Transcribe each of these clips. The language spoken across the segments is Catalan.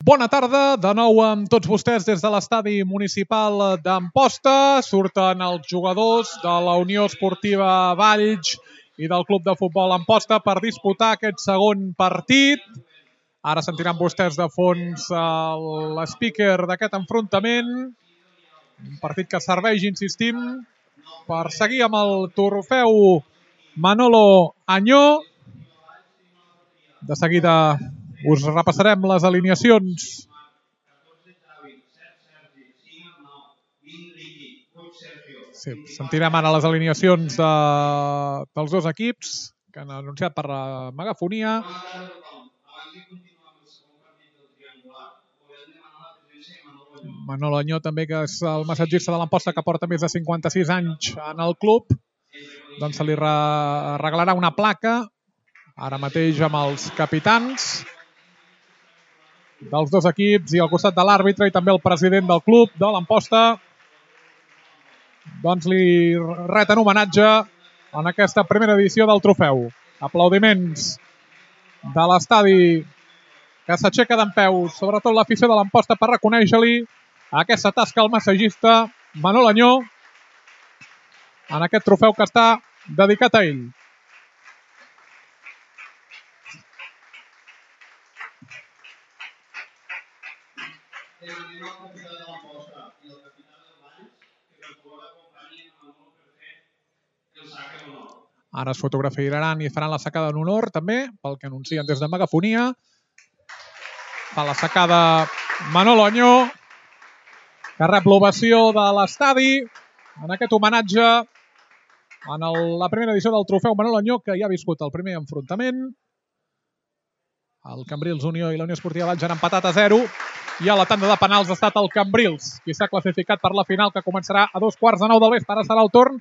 Bona tarda, de nou amb tots vostès des de l'estadi municipal d'Amposta. Surten els jugadors de la Unió Esportiva Valls i del Club de Futbol Amposta per disputar aquest segon partit. Ara sentiran vostès de fons l'speaker d'aquest enfrontament. Un partit que serveix, insistim, per seguir amb el trofeu Manolo Añó. De seguida us repassarem les alineacions. Sí, sentirem ara les alineacions dels dos equips que han anunciat per megafonia. Manolo Añó també, que és el massatgista de l'Amposta, que porta més de 56 anys en el club, doncs se li regalarà una placa ara mateix amb els capitans dels dos equips i al costat de l'àrbitre i també el president del club de l'Amposta, doncs li reten homenatge en aquesta primera edició del trofeu. Aplaudiments de l'estadi que s'aixeca dempeus, sobretot l'afició de l'Amposta, per reconèixer-li aquesta tasca al massatgista Manolo Añó en aquest trofeu que està dedicat a ell. Ara es fotografiaran i faran la sacada en honor també, pel que anuncien des de megafonia. Fa la sacada Manolo Añó, que rep l'ovació de l'estadi en aquest homenatge en la primera edició del trofeu Manolo Añó, que ja ha viscut el primer enfrontament. El Cambrils Unió i la Unió Esportiva Valls han empatat a 0 i a la tanda de penals ha estat el Cambrils qui s'ha classificat per la final, que començarà a 9:15 del vespre. Ara serà el torn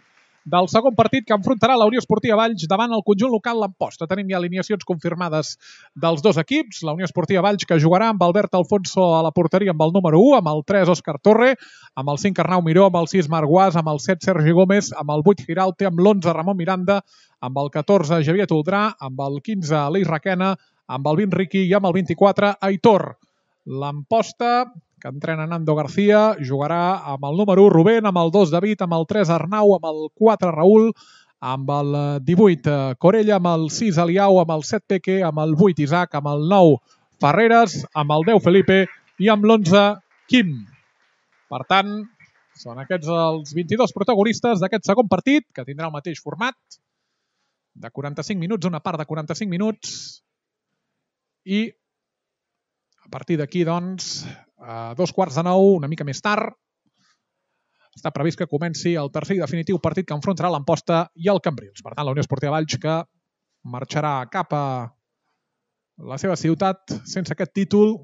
del segon partit que enfrontarà la Unió Esportiva Valls davant el conjunt local l'Amposta. Tenim ja alineacions confirmades dels dos equips. La Unió Esportiva Valls, que jugarà amb Albert Alfonso a la porteria amb el número 1, amb el 3 Òscar Torre, amb el 5 Arnau Miró, amb el 6 Marc Guas, amb el 7 Sergi Gómez, amb el 8 Giralte, amb l'11 Ramon Miranda, amb el 14 Javier Toldrà, amb el 15 Aleix Requena, amb el 20 Riqui i amb el 24 Aitor. L'Amposta, que entrena Nando García, jugarà amb el número 1 Rubén, amb el 2 David, amb el 3 Arnau, amb el 4 Raül, amb el 18 Corella, amb el 6 Aliau, amb el 7 Peque, amb el 8 Isaac, amb el 9 Ferreres, amb el 10 Felipe i amb l'11 Quim. Per tant, són aquests els 22 protagonistes d'aquest segon partit, que tindrà el mateix format de 45 minuts, una part de 45 minuts, i a partir d'aquí, doncs, a 9:15, una mica més tard, està previst que comenci el tercer i definitiu partit que enfrontarà l'Amposta i el Cambrils. Per tant, la Unió Esportiva Valls, que marxarà cap a la seva ciutat sense aquest títol,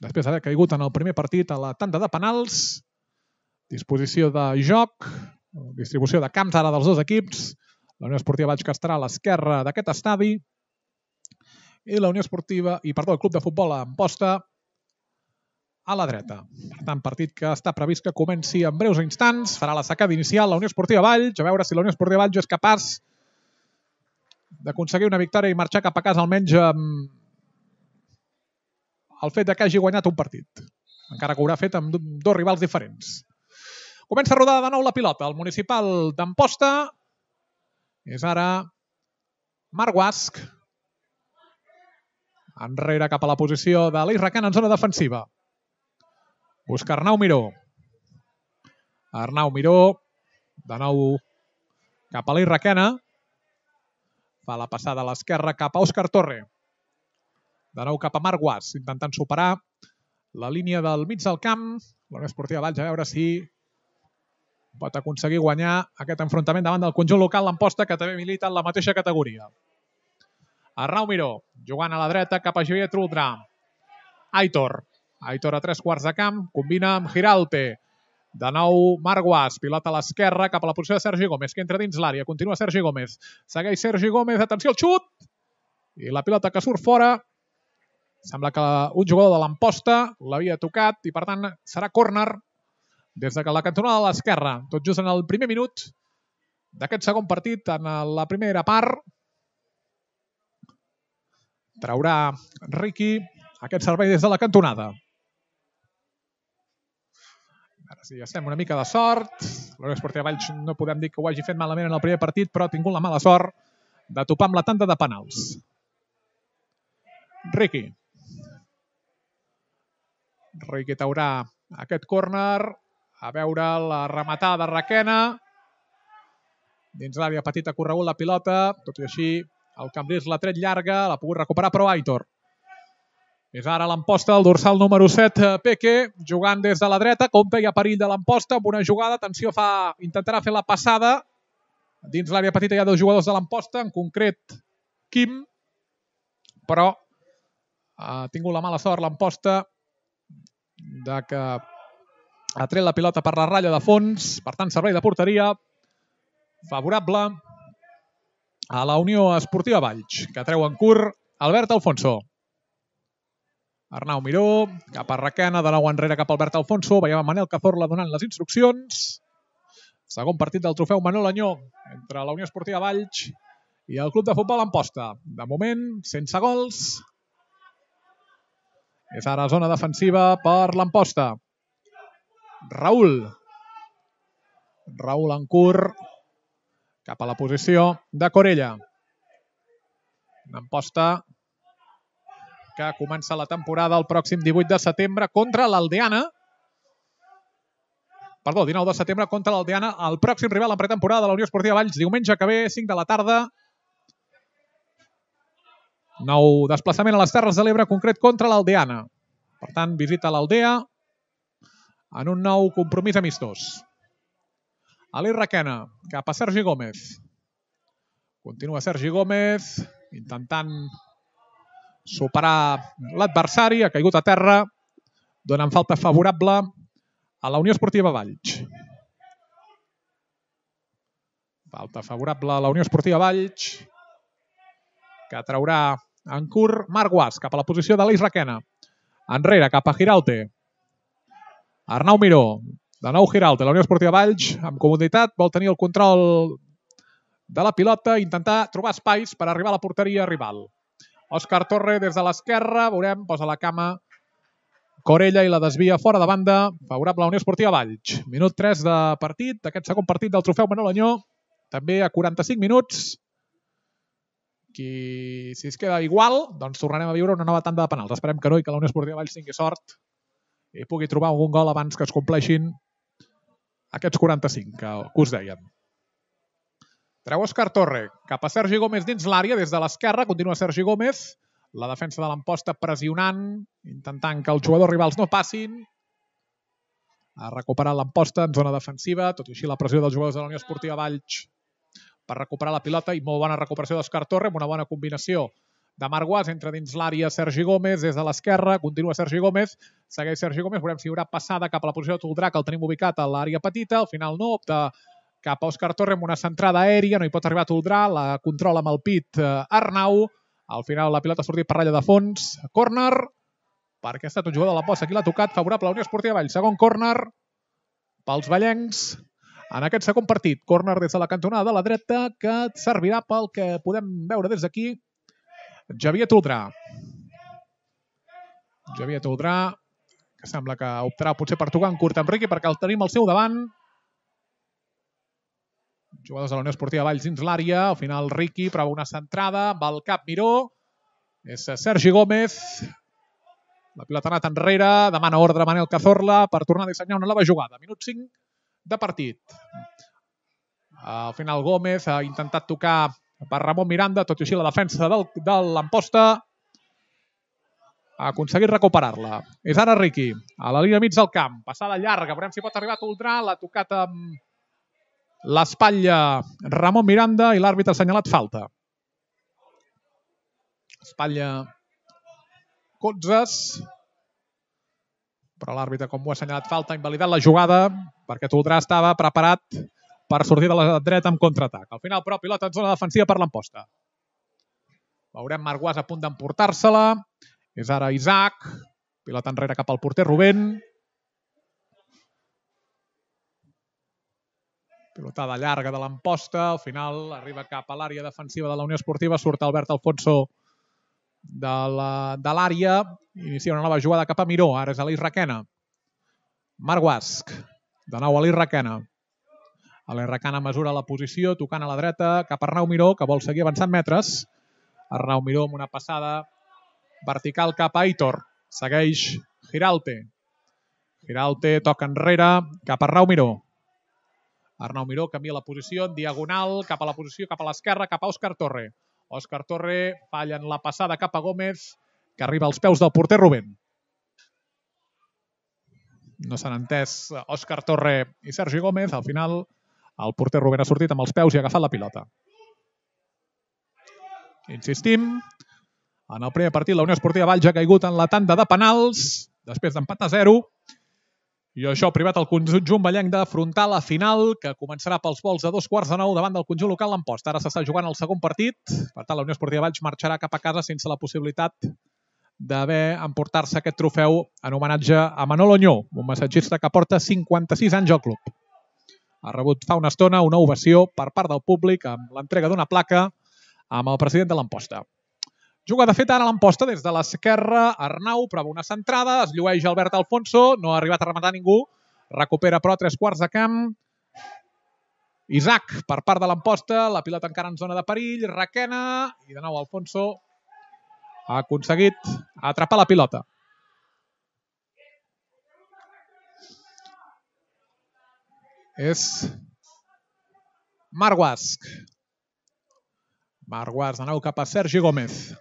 després d'haver caigut en el primer partit a la tanda de penals. Disposició de joc, distribució de camps ara dels dos equips. La Unió Esportiva Valls, que estarà a l'esquerra d'aquest estadi, i la Unió Esportiva, el Club de Futbol Amposta a la dreta. Per tant, partit que està previst que comenci en breus instants. Farà la sacada inicial la Unió Esportiva Valls, a veure si la Unió Esportiva Valls és capaç d'aconseguir una victòria i marxar cap a casa almenys amb el fet que hagi guanyat un partit, encara que ho haurà fet amb dos rivals diferents. Comença a rodar de nou la pilota. El municipal d'Amposta és ara Marc Guasc, enrere cap a la posició d'Aleix Requena en zona defensiva. Busca Arnau Miró. Arnau Miró, de nou cap a Aleix Requena. Fa la passada a l'esquerra cap a Òscar Torre. De nou cap a Marc Guas, intentant superar la línia del mig del camp. La Unió Esportiva Valls, a veure si pot aconseguir guanyar aquest enfrontament davant del conjunt local l'Amposta, que també milita en la mateixa categoria. Arnau Miró, jugant a la dreta cap a Javier Toldrà. Aitor a 3/4 de camp, combina amb Giralte. De nou Marc Guas, pilota a l'esquerra cap a la posició de Sergi Gómez, que entra dins l'àrea. Continua Sergi Gómez, segueix Sergi Gómez, atenció al xut, i la pilota que surt fora. Sembla que un jugador de l'Amposta l'havia tocat i per tant serà córner des de la cantonada de l'esquerra, tot just en el primer minut d'aquest segon partit. En la primera part traurà Riqui aquest servei des de la cantonada. Ara sí, estem una mica de sort. La Unió Esportiva Valls no podem dir que ho hagi fet malament en el primer partit, però ha tingut la mala sort de topar amb la tanda de penals. Riqui Taurà, aquest córner, a veure la rematada de Requena. Dins l'àrea petita ha corregut la pilota, tot i així el Cambrils l'ha tret llarga, l'ha pogut recuperar però Aitor. És ara l'Amposta, el dorsal número 7, Peque, jugant des de la dreta. Compte, hi ha perill de l'Amposta amb una jugada. Atenció, intentarà fer la passada. Dins l'àrea petita hi ha 2 jugadors de l'Amposta, en concret Quim, però ha tingut la mala sort l'Amposta de que ha tret la pilota per la ratlla de fons. Per tant, servei de porteria favorable a la Unió Esportiva Valls, que treu en curt Albert Alfonso. Arnau Miró, cap a Requena, de nou enrere cap a Albert Alfonso. Veiem a Manel Cazorla donant les instruccions. Segon partit del trofeu Manol Anyó entre la Unió Esportiva Valls i el Club de Futbol Amposta. De moment, sense gols. És ara zona defensiva per l'Amposta. Raül en curt cap a la posició de Corella. Amposta que comença la temporada el pròxim 18 de setembre contra l'Aldeana. Perdó, 19 de setembre contra l'Aldeana, el pròxim rival en pretemporada de la Unió Esportiva Valls, diumenge que ve, 5 de la tarda. Nou desplaçament a les Terres de l'Ebre, concret contra l'Aldeana. Per tant, visita l'Aldea en un nou compromís amistós. Aleix Requena, cap a Sergi Gómez. Continua Sergi Gómez, intentant superar l'adversari, ha caigut a terra, donant falta favorable a la Unió Esportiva Valls. Falta favorable a la Unió Esportiva Valls, que traurà en curt Marc Guas, cap a la posició d'Aleix Requena. Enrere, cap a Giralte. Arnau Miró, de nou Giralte, la Unió Esportiva Valls, amb comoditat, vol tenir el control de la pilota, intentar trobar espais per arribar a la porteria rival. Òscar Torre des de l'esquerra, veurem, posa la cama Corella i la desvia fora de banda, favorable a la Unió Esportiva Valls. Minut 3 de partit, d'aquest segon partit del trofeu Manol Anyó, també a 45 minuts. Si es queda igual, doncs tornarem a viure una nova tanda de penals. Esperem que no i que la Unió Esportiva Valls tingui sort i pugui trobar algun gol abans que es compleixin aquests 45 que us dèiem. Treu Òscar Torre, cap a Sergi Gómez dins l'àrea, des de l'esquerra, continua Sergi Gómez, la defensa de l'Amposta pressionant, intentant que els jugadors rivals no passin. Ha recuperat l'Amposta en zona defensiva, tot i així la pressió dels jugadors de la Unió Esportiva Valls per recuperar la pilota i molt bona recuperació d'Òscar Torre, amb una bona combinació de Marc Guas, entra dins l'àrea Sergi Gómez, des de l'esquerra, continua Sergi Gómez, segueix Sergi Gómez, veurem si hi haurà passada cap a la posició de Toldrà, que el tenim ubicat a l'àrea petita, al final no, opta cap a Òscar Torre amb una centrada aèria, no hi pot arribar a Toldrà, la controla amb el pit Arnau, al final la pilota ha sortit per ratlla de fons, córner, perquè ha estat un jugador de la posta, qui l'ha tocat, favorable a la Unió Esportiva Valls, segon córner pels vallencs, en aquest segon partit, córner des de la cantonada de la dreta, que servirà pel que podem veure des d'aquí, Javier Toldrà. Javier Toldrà, que sembla que optarà potser per tocar en curt amb Riqui, perquè el tenim al seu davant. Jugadors de la Unió Esportiva Valls dins l'àrea, al final Riqui prova una centrada, amb el cap Miró, és Sergi Gómez, la pilota ha anat enrere, demana ordre Manel Cazorla per tornar a dissenyar una nova jugada. Minut 5 de partit. Al final Gómez ha intentat tocar per Ramon Miranda, tot i així la defensa de l'Amposta ha aconseguit recuperar-la. És ara Riqui, a la línia mig del camp, passada llarga, veurem si pot arribar a Toldrà, l'ha tocat amb l'espatlla Ramon Miranda i l'àrbitre ha assenyalat falta. Espatlla Cotzes, però l'àrbitre, com ho ha assenyalat falta, ha invalidat la jugada perquè Toldrà estava preparat per sortir de la dreta amb contraatac. Al final, però, pilota en zona defensiva per l'Amposta. Veurem Marc Guas a punt d'emportar-se-la. És ara Isaac. Pilota enrere cap al porter Rubén. Pilotada llarga de l'Amposta. Al final arriba cap a l'àrea defensiva de la Unió Esportiva. Surt Albert Alfonso de l'àrea. Inicia una nova jugada cap a Miró. Ara és Aleix Requena. Marc Guas. De nou Ali Requena. Ali Requena mesura la posició, tocant a la dreta, cap a Arnau Miró, que vol seguir avançant metres. Arnau Miró amb una passada vertical cap a Aitor. Segueix Giralte. Giralte toca enrere, cap a Arnau Miró. Arnau Miró canvia la posició en diagonal, cap a la posició, cap a l'esquerra, cap a Òscar Torre. Òscar Torre falla en la passada cap a Gómez, que arriba als peus del porter Rubén. No s'han entès Òscar Torre i Sergi Gómez. Al final, el porter Rubén ha sortit amb els peus i ha agafat la pilota. Insistim, en el primer partit la Unió Esportiva Valls ha caigut en la tanda de penals, després d'empat a 0. I això ha privat el conjunt vallenc d'afrontar la final, que començarà pels vols de 8:45 davant del conjunt local l'Amposta. Ara s'està jugant el segon partit. Per tant, la Unió Esportiva Valls marxarà cap a casa sense la possibilitat d'haver emportar-se aquest trofeu en homenatge a Manol Oñó, un massatgista que porta 56 anys al club. Ha rebut fa una estona una ovació per part del públic amb l'entrega d'una placa amb el president de l'Amposta. Jugada feta ara l'Amposta des de l'esquerra. Arnau prova una centrada, es llueix Albert Alfonso, no ha arribat a rematar ningú, recupera però a 3/4 de camp. Isaac per part de l'Amposta, la pilota encara en zona de perill, Requena i de nou Alfonso ha aconseguit atrapar la pilota. És Marc Guasch. Marc Guasch de nou cap a Sergi Gómez.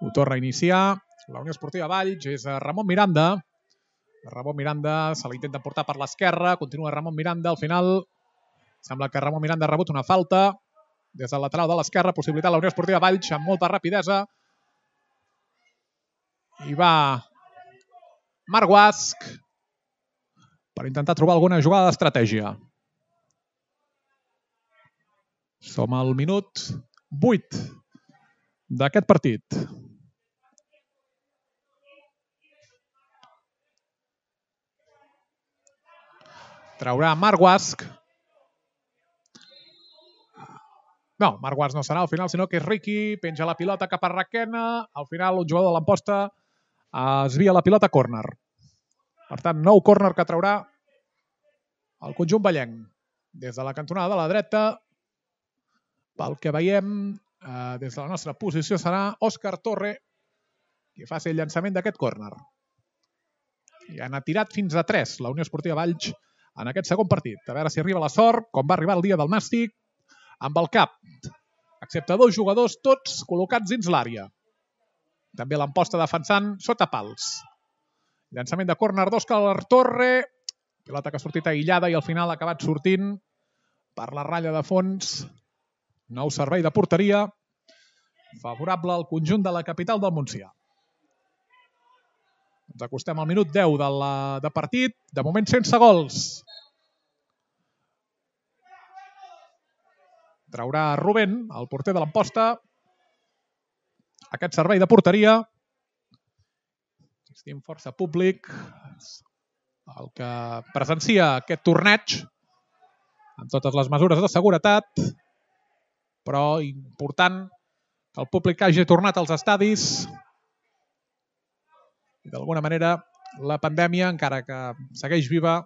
Ho torna a iniciar la Unió Esportiva Valls, és Ramon Miranda. Ramon Miranda se l'intenta portar per l'esquerra, continua Ramon Miranda, al final sembla que Ramon Miranda ha rebut una falta des del lateral de l'esquerra, possibilitat la Unió Esportiva Valls amb molta rapidesa. I va Marc Guasch per intentar trobar alguna jugada d'estratègia. Som al minut 8 d'aquest partit. Traurà Marc Guasch. No, Marc Guasch no serà al final, sinó que és Riqui, penja la pilota cap a Requena. Al final, un jugador de l'Amposta es via la pilota a córner. Per tant, nou córner que traurà el conjunt vallenc. Des de la cantonada de la dreta, pel que veiem, des de la nostra posició serà Òscar Torre qui faci el llançament d'aquest córner. I n'ha tirat fins a 3 la Unió Esportiva Valls en aquest segon partit. A veure si arriba la sort, com va arribar el dia del Nàstic, amb el cap, excepte 2 jugadors, tots col·locats dins l'àrea. També l'Amposta defensant sota pals. Llançament de córner d'Òscar Torre, pilota que ha sortit aïllada i al final ha acabat sortint per la ratlla de fons. Nou servei de porteria favorable al conjunt de la capital del Montsià. Ens acostem al minut 10 de partit, de moment sense gols. Traurà Rubén, el porter de l'Amposta, aquest servei de porteria. Estem força públic, el que presencia aquest torneig amb totes les mesures de seguretat, però important que el públic hagi tornat als estadis i d'alguna manera la pandèmia, encara que segueix viva,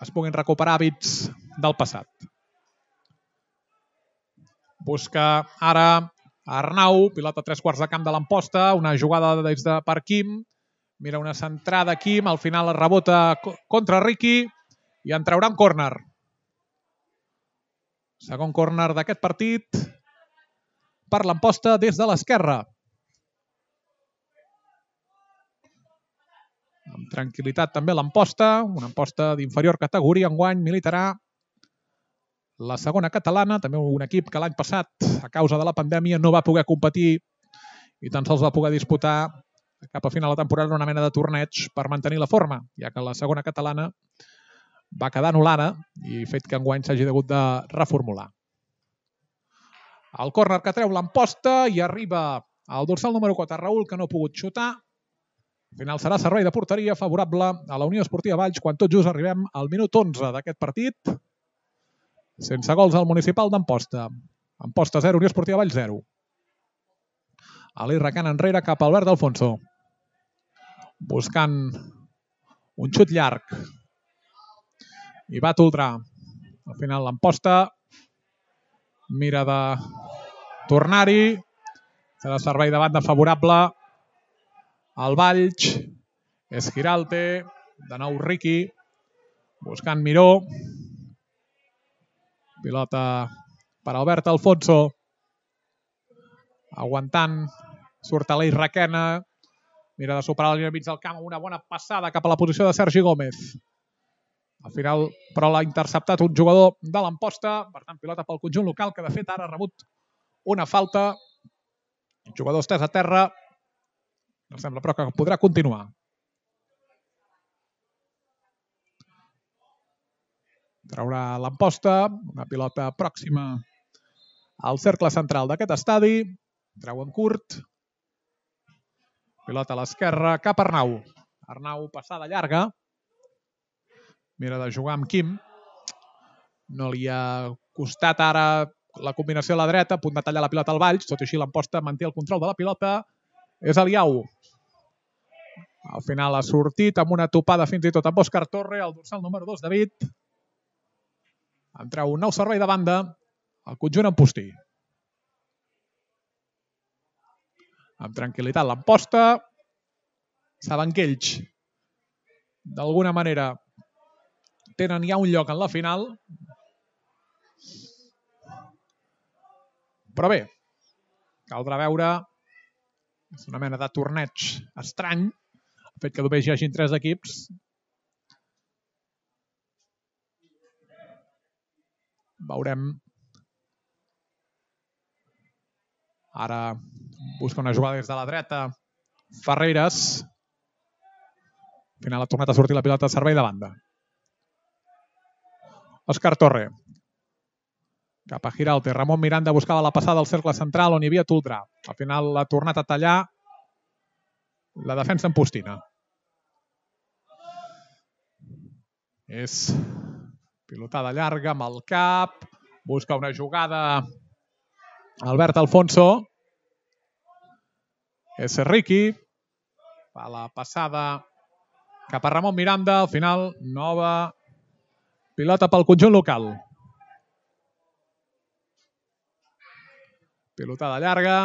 es puguin recuperar hàbits del passat. Busca ara Arnau, pilota a 3/4 de camp de l'Amposta, una jugada des de per Quim, mira una centrada Quim, al final es rebota contra Riqui i en traurà un córner. Segon córner d'aquest partit per l'Amposta des de l'esquerra. Amb tranquil·litat també l'Amposta, una Amposta d'inferior categoria, enguany militarà la segona catalana, també un equip que l'any passat, a causa de la pandèmia, no va poder competir i tan sols va poder disputar cap a final de temporada una mena de torneig per mantenir la forma, ja que la segona catalana va quedar anul·lada i fet que enguany s'hagi hagut de reformular. El córner que treu l'Amposta i arriba al dorsal número 4, Raül, que no ha pogut xutar. Al final serà servei de porteria favorable a la Unió Esportiva Valls quan tot just arribem al minut 11 d'aquest partit. Sense gols al municipal d'Amposta. Amposta 0, Unió Esportiva Valls 0. Ali Requena enrere cap a Albert Alfonso. Buscant Un xut llarg. I va Toldrà. Al final l'emposta. Mira de tornar-hi. Serà servei de banda favorable al Valls. És Giralte. De nou Riqui. Buscant Miró. Pilota per Albert Alfonso. Aguantant. Surt Aleix Requena. Mira de superar la línia mig del camp amb una bona passada cap a la posició de Sergi Gómez. Al final, però, l'ha interceptat un jugador de l'Amposta. Per tant, pilota pel conjunt local, que de fet ara ha rebut una falta. El jugador estès a terra. No sembla, però, que podrà continuar. Traurà l'Amposta. Una pilota pròxima al cercle central d'aquest estadi. Treu en curt. Pilota a l'esquerra, cap a Arnau. Arnau, passada llarga. Mira de jugar amb Quim. No li ha costat ara la combinació a la dreta, a punt de tallar la pilota al Valls. Tot i així l'Amposta manté el control de la pilota. És Eliau. Al final ha sortit amb una topada fins i tot amb Òscar Torre, el dorsal número 2, David. En treu un nou servei de banda, el conjunt Ampostí. Amb tranquil·litat l'Amposta. Saben que ells, d'alguna manera, tenen ja un lloc en la final. Però bé, caldrà veure. És una mena de torneig estrany. El fet que només hi hagin 3 equips. Veurem. Ara busca una jugada des de la dreta. Ferreres. Al final ha tornat a sortir la pilota de servei de banda. Òscar Torre. Cap a Giralte. Ramon Miranda buscava la passada al cercle central on hi havia Toldrà. Al final l'ha tornat a tallar la defensa ampostina. És pilotada llarga amb el cap. Busca una jugada Albert Alfonso. És Riqui. Fa la passada cap a Ramon Miranda. Al final, nova pilota pel conjunt local. Pilotada llarga,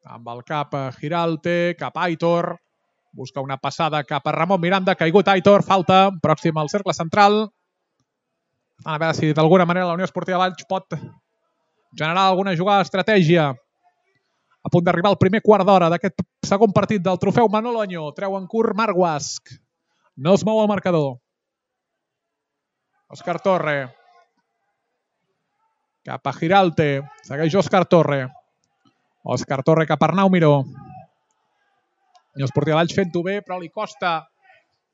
amb el cap a Giralte, cap a Aitor. Busca una passada cap a Ramon Miranda. Caigut Aitor, falta, pròxima al cercle central. A veure si d'alguna manera la Unió Esportiva Valls pot generar alguna jugada d'estratègia. A punt d'arribar al primer quart d'hora d'aquest segon partit del trofeu Manolo Añó. Treu en curt Marc Guasch. No es mou el marcador. Òscar Torre. Cap a Giralte. Segueix Òscar Torre. Òscar Torre cap a Arnau Miró. Unió Esportiva Valls fent-ho bé, però li costa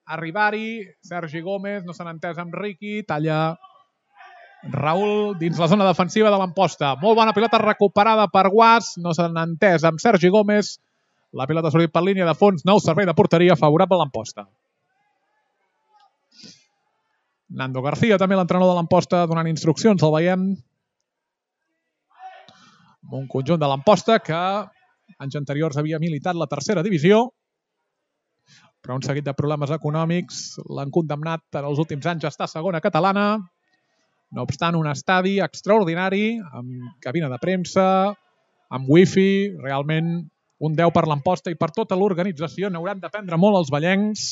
arribar-hi. Sergi Gómez no s'ha entès amb Riqui. Talla Raül dins la zona defensiva de l'Amposta. Molt bona pilota recuperada per Guasch. No s'han entès amb Sergi Gómez. La pilota ha sortit per línia de fons. Nou servei de porteria favorable a l'Amposta. Nando García, també l'entrenador de l'Amposta, donant instruccions. El veiem amb un conjunt de l'Amposta que anys anteriors havia militat la tercera divisió, però un seguit de problemes econòmics l'han condemnat en els últims anys a estar a segona catalana. No obstant, un estadi extraordinari, amb cabina de premsa, amb wifi, realment un 10 per l'Amposta i per tota l'organització. N'hauran d'aprendre molt els vallencs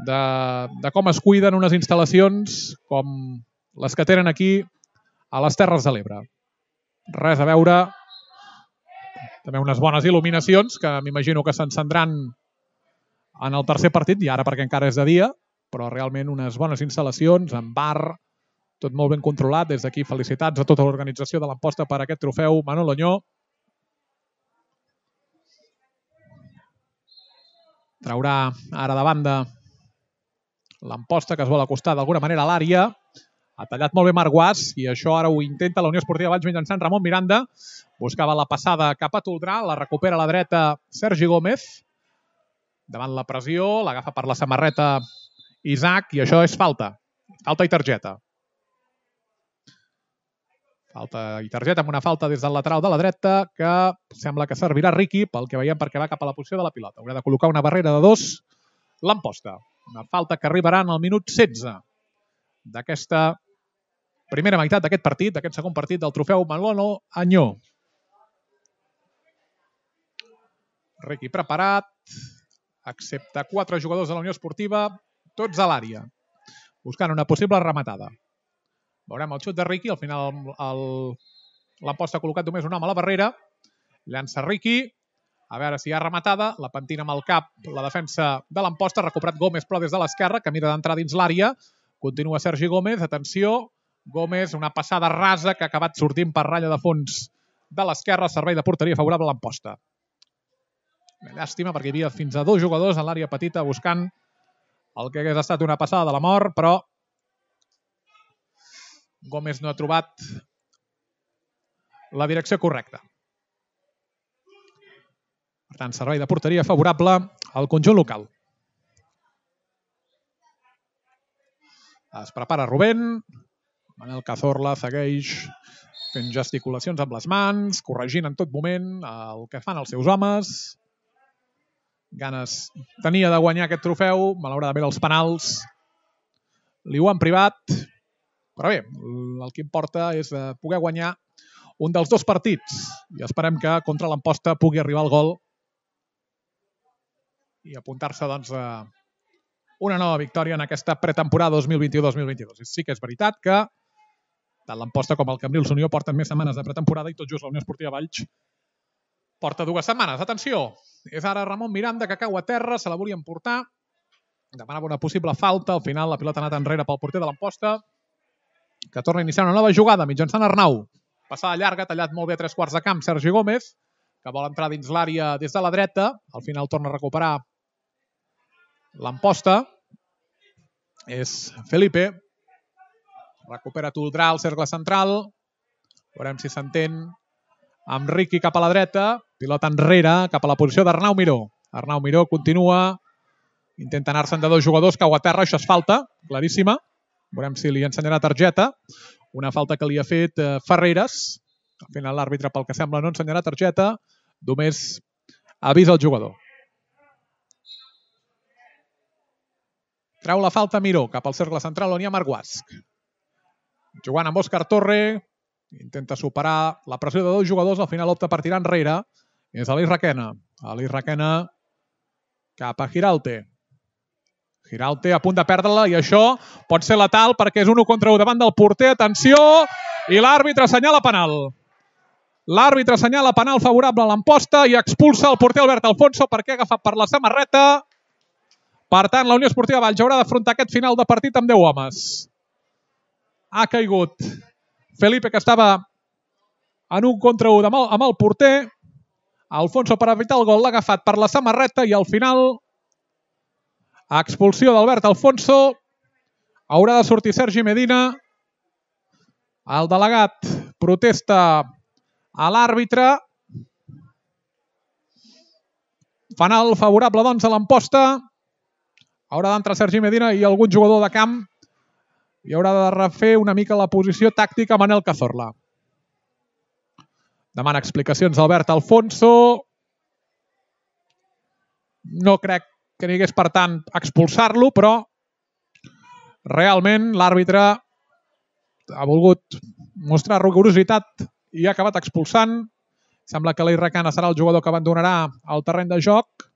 de com es cuiden unes instal·lacions com les que tenen aquí a les Terres de l'Ebre. Res a veure. També unes bones il·luminacions que m'imagino que s'encendran en el tercer partit, i ara perquè encara és de dia, però realment unes bones instal·lacions, amb bar, tot molt ben controlat. Des d'aquí felicitats a tota l'organització de l'Amposta per aquest trofeu Manolo Añó. Traurà ara de banda l'Amposta, que es vol acostar d'alguna manera a l'àrea. Ha tallat molt bé Marc Guasch i això ara ho intenta la Unió Esportiva Valls mitjançant Ramon Miranda. Buscava la passada cap a Toldrà, la recupera a la dreta Sergi Gómez. Davant la pressió, l'agafa per la samarreta Isaac i això és falta. Falta i targeta. Falta i targeta amb una falta des del lateral de la dreta que sembla que servirà Riqui pel que veiem perquè va cap a la posició de la pilota. Haurà de col·locar una barrera de 2 l'Amposta. Una falta que arribarà en el minut 16 d'aquesta primera meitat d'aquest partit, d'aquest segon partit del trofeu Manolo Añó. Riqui preparat, excepte 4 jugadors de la Unió Esportiva, tots a l'àrea, buscant una possible rematada. Veurem el xut de Riqui, al final l'Amposta ha col·locat només un home a la barrera, llança Riqui, a veure si hi ha rematada, la pentina amb el cap, la defensa de l'Amposta, ha recuperat Gómez però des de l'esquerra, que mira d'entrar dins l'àrea, continua Sergi Gómez, atenció, Gómez, una passada rasa que ha acabat sortint per ratlla de fons de l'esquerra, servei de porteria favorable a l'Amposta. Llàstima perquè hi havia fins a 2 jugadors en l'àrea petita buscant el que hagués estat una passada de la mort, però Gómez no ha trobat la direcció correcta. Per tant, servei de porteria favorable al conjunt local. Es prepara Rubén. Manel Cazorla segueix fent gesticulacions amb les mans, corregint en tot moment el que fan els seus homes. Ganes tenia de guanyar aquest trofeu, malauradament els penals li ho han privat, però bé, el que importa és poder guanyar un dels 2 partits i esperem que contra l'Amposta pugui arribar el gol i apuntar-se doncs a una nova victòria en aquesta pretemporada 2021-2022. Sí que és veritat que tant l'Amposta com el Cambrils Unió porten més setmanes de pretemporada i tot just la Unió Esportiva Valls porta 2 setmanes. Atenció, és ara Ramon Miranda que cau a terra, se la volien portar, demanava una possible falta, al final la pilota ha anat enrere pel porter de l'Amposta, que torna a iniciar una nova jugada mitjançant Arnau. Passada llarga, tallat molt bé a 3/4 de camp Sergi Gómez, que vol entrar dins l'àrea des de la dreta, al final torna a recuperar l'Amposta, és Felipe, recupera Toldrà al cercle central, veurem si s'entén amb Riqui cap a la dreta, pilota enrere cap a la posició d'Arnau Miró. Arnau Miró continua, intenta anar-se'n de 2 jugadors, cau a terra, això és falta, claríssima. Veurem si li ensenyarà targeta. Una falta que li ha fet Ferreres. Al final l'àrbitre, pel que sembla, no ensenyarà targeta, només avisa el jugador. Treu la falta Miró cap al cercle central on hi ha Marc Guasc. Jugant amb Òscar Torre, intenta superar la pressió de 2 jugadors, al final opta per tirar enrere. És Aleix Requena. Aleix Requena cap a Giralte. Giralte a punt de perdre-la i això pot ser letal perquè és un 1 contra 1 davant del porter. Atenció! I l'àrbitre assenyala penal. L'àrbitre assenyala penal favorable a l'Amposta i expulsa el porter Albert Alfonso perquè ha agafat per la samarreta. Per tant, la Unió Esportiva Valls haurà d'afrontar aquest final de partit amb 10 homes. Ha caigut Felipe, que estava en 1 contra 1 amb el porter. Alfonso, per evitar el gol, l'ha agafat per la samarreta i al final, expulsió d'Albert Alfonso. Haurà de sortir Sergi Medina. El delegat protesta a l'àrbitre. Penal favorable, doncs, a l'Amposta. Haurà d'entrar Sergi Medina i algun jugador de camp i haurà de refer una mica la posició tàctica a Manel Cazorla. Demana explicacions d'Albert Alfonso. No crec que n'hi hagués, per tant, expulsar-lo, però realment l'àrbitre ha volgut mostrar rigorositat i ha acabat expulsant. Sembla que l'Aleix Requena serà el jugador que abandonarà el terreny de joc.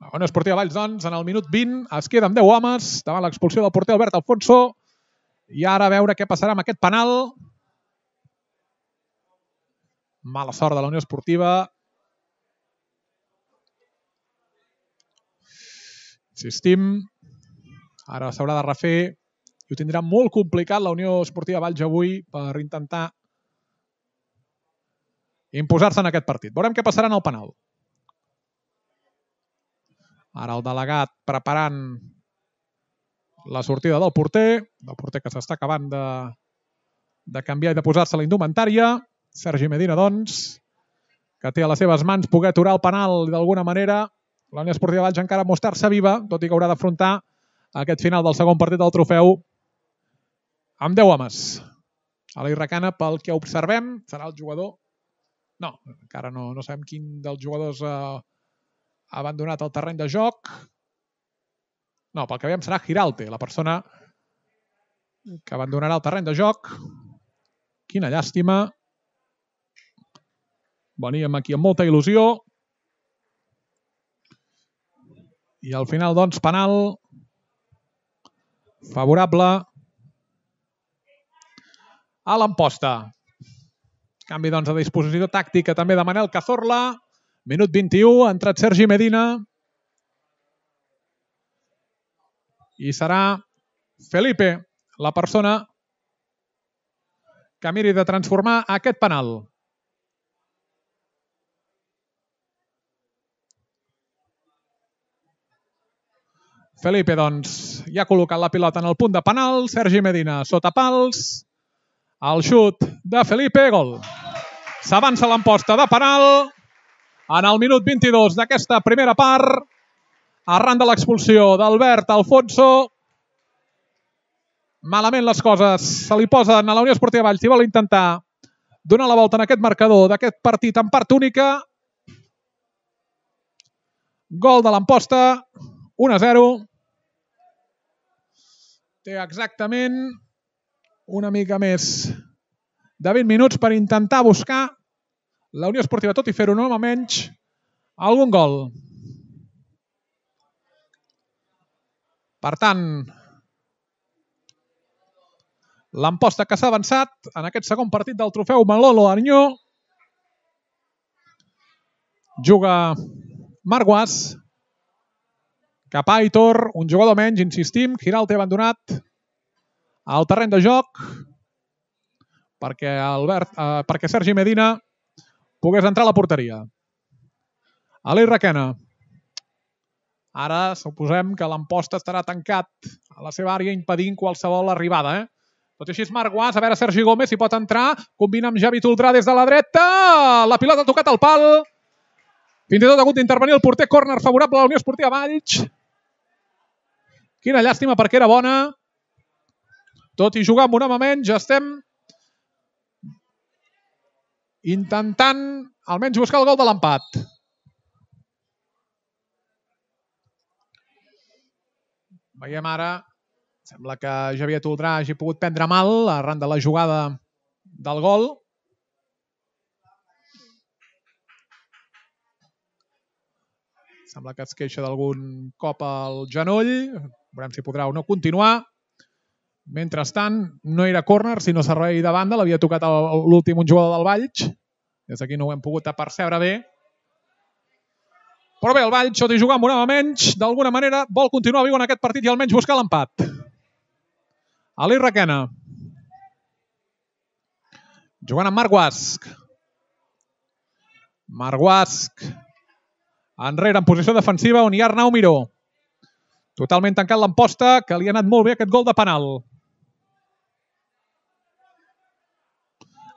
La Unió Esportiva Valls, doncs, en el minut 20 es queda amb 10 homes davant l'expulsió del porter Albert Alfonso. I ara a veure què passarà amb aquest penal. Mala sort de la Unió Esportiva. Insistim, ara s'haurà de refer i ho tindrà molt complicat la Unió Esportiva Valls avui per intentar imposar-se en aquest partit. Veurem què passarà en el penal. Ara el delegat preparant la sortida del porter que s'està acabant de canviar i de posar-se la indumentària. Sergi Medina, doncs, que té a les seves mans poder aturar el penal d'alguna manera. La Unió Esportiva Valls encara mostrar-se viva, tot i que haurà d'afrontar aquest final del segon partit del trofeu amb 10 homes. Aleix Requena, pel que observem, serà el jugador... No, encara no sabem quin dels jugadors abandonat el terreny de joc. No, pel que veiem serà Giralte, la persona que abandonarà el terreny de joc. Quina llàstima. Veníem aquí amb molta il·lusió. I al final, doncs, penal favorable a l'Amposta. Canvi, doncs, de disposició tàctica també de Manel Cazorla. Minut 21, ha entrat Sergi Medina. I serà Felipe la persona que miri de transformar aquest penal. Felipe, doncs, ja ha col·locat la pilota en el punt de penal. Sergi Medina sota pals. El xut de Felipe, gol. S'avança l'Amposta de penal en el minut 22 d'aquesta primera part. Arran de l'expulsió d'Albert Alfonso. Malament les coses se li posen a la Unió Esportiva Valls si vol intentar donar la volta en aquest marcador d'aquest partit en part única. Gol de l'Amposta, 1-0. Té exactament una mica més de 20 minuts per intentar buscar la Unió Esportiva, tot i fer-ho no menys, algun gol. Per tant, l'Amposta que s'ha avançat en aquest segon partit del trofeu Manolo Arnyó. Juga Marguas cap a Aitor, un jugador menys, insistim. Giralte abandonat al terreny de joc perquè Sergi Medina pogués entrar a la porteria. Aleix Requena. Ara suposem que l'Amposta estarà tancat a la seva àrea impedint qualsevol arribada. Tot i així és Marguas, a veure Sergi Gómez si pot entrar, combina amb Javi Toldrà des de la dreta, la pilota ha tocat el pal, fins i tot ha hagut d'intervenir el porter, córner favorable a la Unió Esportiva Valls. Quina llàstima perquè era bona. Tot i jugar amb un home menys, estem intentant almenys buscar el gol de l'empat. Veiem ara, sembla que Javier Toldrà hagi pogut prendre mal arran de la jugada del gol. Sembla que es queixa d'algun cop al genoll. Veurem si podrà o no continuar. Mentrestant, no era córner, sinó servei de banda. L'havia tocat l'últim un jugador del Valls. Des d'aquí no ho hem pogut percebre bé. Però bé, el Valls, tot i jugar amb un home menys, d'alguna manera vol continuar viu en aquest partit i almenys buscar l'empat. Aleix Requena. Jugant amb Marc Guasc. Marc Guasc. Enrere en posició defensiva on hi ha Arnau Miró. Totalment tancat l'Amposta, que li ha anat molt bé aquest gol de penal.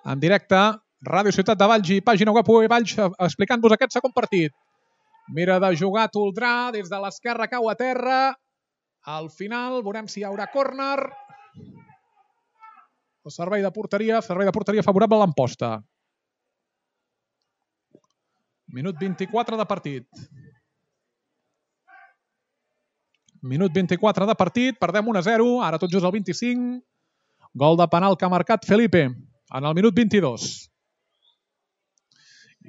En directe, Ràdio Ciutat de Valls i pàgina web UE Valls explicant-vos aquest segon partit. Mira de jugar Toldrà, des de l'esquerra cau a terra. Al final veurem si hi haurà córner. El servei de porteria favorable a l'Amposta. Minut 24 de partit. Minut 24 de partit, perdem 1-0, ara tot just al 25. Gol de penal que ha marcat Felipe en el minut 22.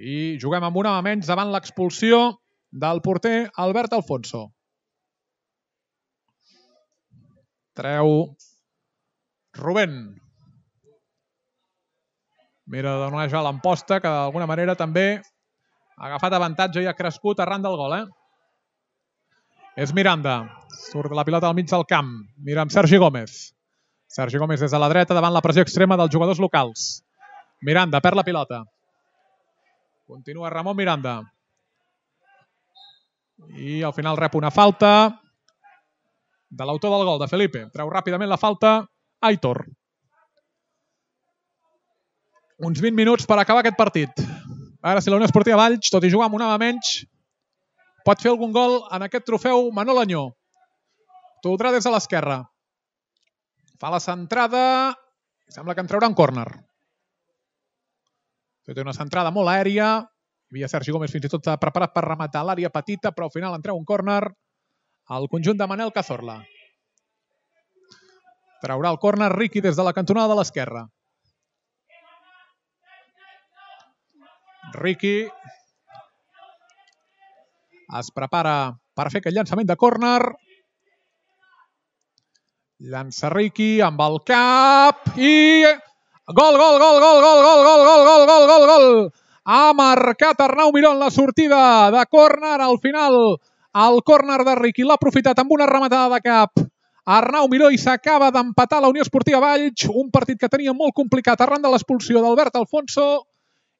I juguem amb un home menys davant l'expulsió del porter Albert Alfonso. Treu Rubén. Mira de donar ja l'Amposta, que d'alguna manera també ha agafat avantatge i ha crescut arran del gol. És Miranda. Surt la pilota al mig del camp. Mira amb Sergi Gómez. Sergi Gómez des de la dreta davant la pressió extrema dels jugadors locals. Miranda perd la pilota. Continua Ramon Miranda. I al final rep una falta de l'autor del gol, de Felipe. Treu ràpidament la falta Aitor. Uns 20 minuts per acabar aquest partit. Ara si la Unió Esportiva Valls, tot i jugar amb un home menys, pot fer algun gol en aquest trofeu Manolo Arnyó. Toldrà des de l'esquerra. Fa la centrada. Sembla que en traurà un córner. Té una centrada molt aèria. Hi havia Sergi Gómez fins i tot preparat per rematar l'àrea petita, però al final en treu un córner al conjunt de Manel Cazorla. Traurà el córner Riqui des de la cantonada de l'esquerra. Riqui es prepara per fer aquest llançament de córner. Llança Riqui amb el cap i... Gol, gol, gol, gol, gol, gol, gol, gol, gol, gol, gol, gol! Ha marcat Arnau Miró en la sortida de córner. Al final, el córner de Riqui l'ha aprofitat amb una rematada de cap. Arnau Miró i s'acaba d'empatar la Unió Esportiva Valls. Un partit que tenia molt complicat arran de l'expulsió d'Albert Alfonso.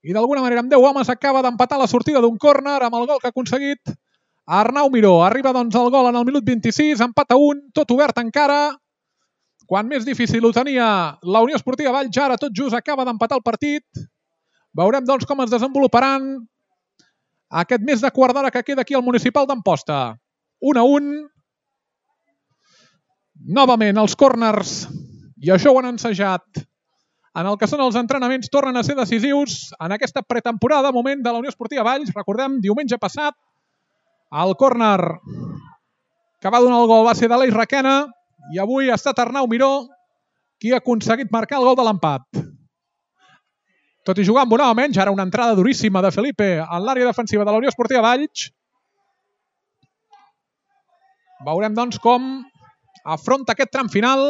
I d'alguna manera amb 10 homes acaba d'empatar la sortida d'un córner amb el gol que ha aconseguit Arnau Miró. Arriba doncs el gol en el minut 26, empat a 1, tot obert encara. Quan més difícil ho tenia la Unió Esportiva Valls, ara tot just acaba d'empatar el partit. Veurem doncs com es desenvoluparan aquest mes de quart d'hora que queda aquí al Municipal d'Amposta. 1-1. Novament els córners, i això ho han ensajat en el que són els entrenaments, tornen a ser decisius en aquesta pretemporada, moment de la Unió Esportiva Valls. Recordem, diumenge passat, el córner que va donar el gol va ser d'Aleix Requena i avui ha estat Arnau Miró qui ha aconseguit marcar el gol de l'empat. Tot i jugar amb un home menys, ara una entrada duríssima de Felipe en l'àrea defensiva de la Unió Esportiva Valls. Veurem doncs com afronta aquest tram final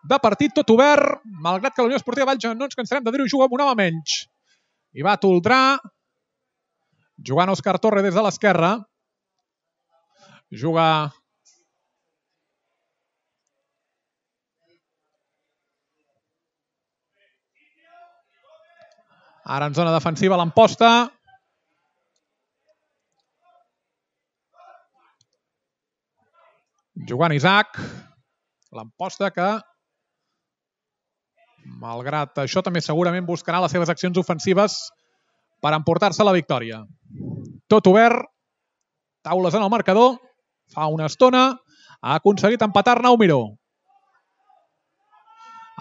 de partit tot obert, malgrat que la Unió Esportiva Valls, no ens cansarem de dir-ho, juga amb un home menys. I va Toldrà, jugant Òscar Torre des de l'esquerra. Juga ara en zona defensiva l'Amposta. Jugant Isaac. L'Amposta que, malgrat això, també segurament buscarà les seves accions ofensives per emportar-se la victòria. Tot obert. Taules en el marcador. Fa una estona. Ha aconseguit empatar Arnau Miró.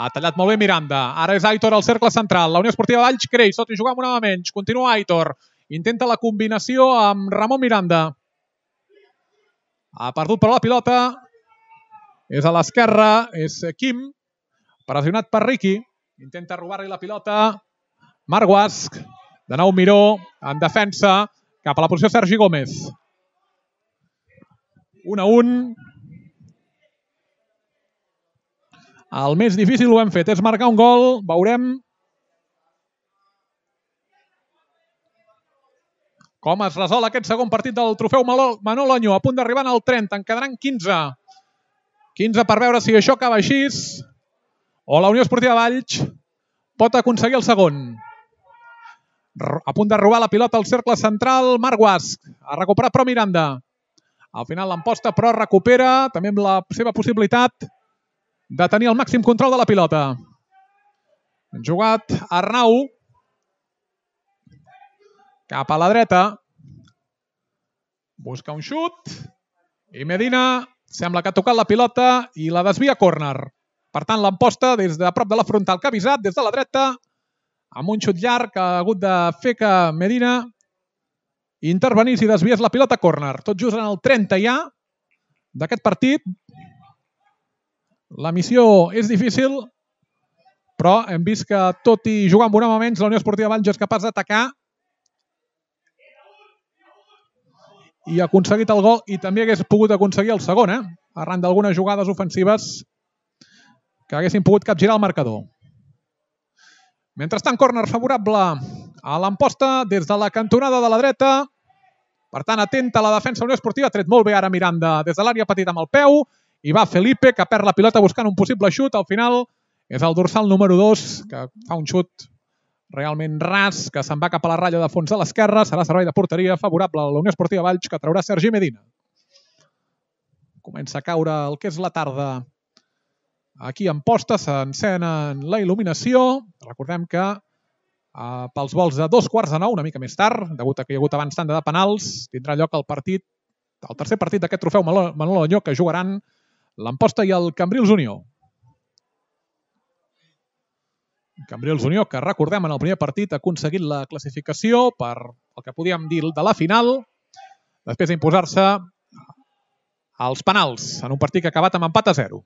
Ha tallat molt bé Miranda. Ara és Aitor al cercle central. La Unió Esportiva Valls creix, tot i jugar amb un home menys. Continua Aitor. Intenta la combinació amb Ramon Miranda. Ha perdut però la pilota. És a l'esquerra. És Quim. Pressionat per Riqui. Intenta robar-li la pilota. Marc Guasch. De nou Miró. En defensa. Cap a la posició Sergi Gómez. 1-1. El més difícil ho hem fet, és marcar un gol. Veurem com es resol aquest segon partit del trofeu Manol Oño. A punt d'arribar al 30, en quedaran 15. 15 per veure si això acaba així o la Unió Esportiva Valls pot aconseguir el segon. A punt de robar la pilota al cercle central, Marc Guasch. Ha recuperat però Miranda. Al final l'Amposta però recupera, també amb la seva possibilitat de tenir el màxim control de la pilota. Han jugat Arnau cap a la dreta. Busca un xut i Medina sembla que ha tocat la pilota i la desvia a córner. Per tant, l'Amposta des de prop de la frontal que ha avisat des de la dreta amb un xut llarg que ha hagut de fer que Medina intervenís i desviés la pilota a córner. Tot just en el 30 ja d'aquest partit. La missió és difícil, però hem vist que tot i jugar amb un home menys, la Unió Esportiva Valls és capaç d'atacar i ha aconseguit el gol i també hagués pogut aconseguir el segon, arran d'algunes jugades ofensives que haguessin pogut capgirar el marcador. Mentrestant, córner favorable a l'Amposta des de la cantonada de la dreta. Per tant, atenta a la defensa Unió Esportiva. Ha tret molt bé ara Miranda des de l'àrea petita amb el peu. I va Felipe, que perd la pilota buscant un possible xut. Al final és el dorsal número 2, que fa un xut realment ras, que se'n va cap a la ratlla de fons de l'esquerra. Serà servei de porteria favorable a la Unió Esportiva Valls, que traurà Sergi Medina. Comença a caure el que és la tarda. Aquí a Amposta s'encén la il·luminació. Recordem que pels vols de 8:45, una mica més tard, degut a que hi ha hagut abans tanda de penals, tindrà lloc el tercer partit d'aquest trofeu Manol Oño, que jugaran l'Amposta i el Cambrils Unió. Cambrils Unió, que recordem en el primer partit ha aconseguit la classificació per el que podíem dir de la final, després d'imposar-se als penals en un partit que ha acabat amb empat a 0.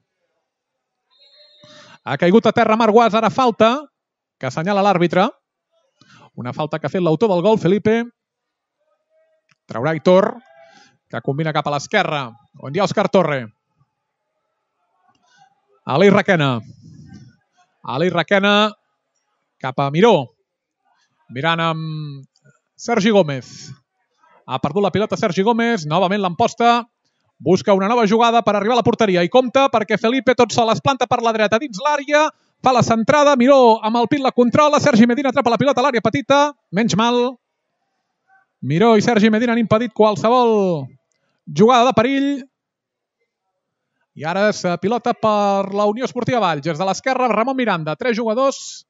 Ha caigut a terra Marc Guas, ara falta, que assenyala l'àrbitre. Una falta que ha fet l'autor del gol, Felipe. Traurà Aitor, que combina cap a l'esquerra, on hi ha Òscar Torre. Aleix Requena. Aleix Requena cap a Miró. Mirant amb Sergi Gómez. Ha perdut la pilota Sergi Gómez, novament l'emposta. Busca una nova jugada per arribar a la porteria i compta perquè Felipe tot sol es planta per la dreta dins l'àrea, fa la centrada, Miró amb el pit la controla, Sergi Medina atrapa la pilota a l'àrea petita, menys mal. Miró i Sergi Medina han impedit qualsevol jugada de perill. I ara és pilota per la Unió Esportiva Valls. Des de l'esquerra, Ramon Miranda. 3 jugadors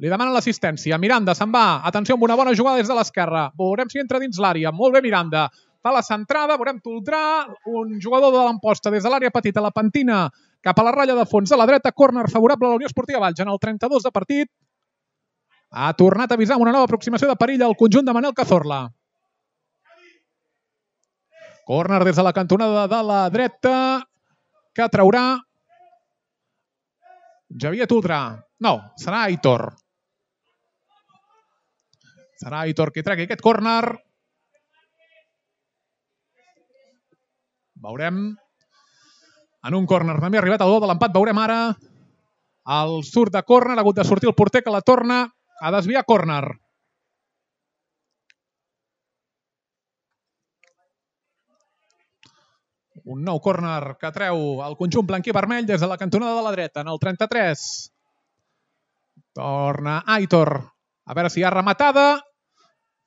li demanen l'assistència. Miranda se'n va. Atenció amb una bona jugada des de l'esquerra. Veurem si entra dins l'àrea. Molt bé Miranda. Fa la centrada, veurem Toldrà. Un jugador de l'emposta des de l'àrea petita, la pentina cap a la ratlla de fons de la dreta. Córner favorable a la Unió Esportiva Valls en el 32 de partit. Ha tornat a avisar amb una nova aproximació de perill al conjunt de Manel Cazorla. Córner des de la cantonada de la dreta que traurà Javier Toldrà. No, serà Aitor. Serà Aitor qui tregui aquest córner. Veurem. En un córner també ha arribat el gol de l'empat. Veurem ara el surt de córner. Ha hagut de sortir el porter que la torna a desviar córner. Un nou córner que treu el conjunt blanquí vermell des de la cantonada de la dreta, en el 33. Torna Aitor. A veure si hi ha rematada.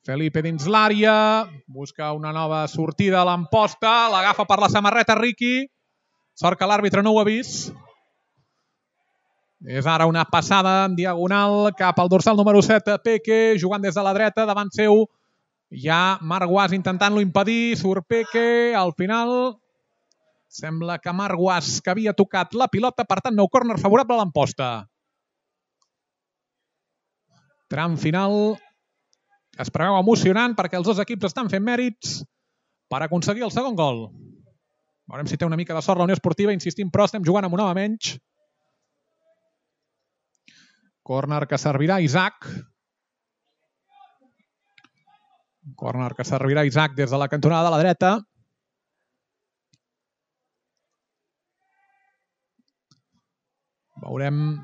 Felipe dins l'àrea. Busca una nova sortida a l'emposta. L'agafa per la samarreta Riqui. Sort que l'àrbitre no ho ha vist. És ara una passada en diagonal cap al dorsal número 7, Peque, jugant des de la dreta, davant seu. Hi ha Marc Guas intentant-lo impedir. Surt Peque. Al final sembla que Marc Guas, que havia tocat la pilota, per tant, nou córner favorable a l'emposta. Tram final. Es preveu emocionant perquè els dos equips estan fent mèrits per aconseguir el segon gol. Veurem si té una mica de sort la Unió Esportiva. Insistim, però estem jugant amb un home menys. Córner que servirà Isaac. Córner que servirà Isaac des de la cantonada de la dreta. Veurem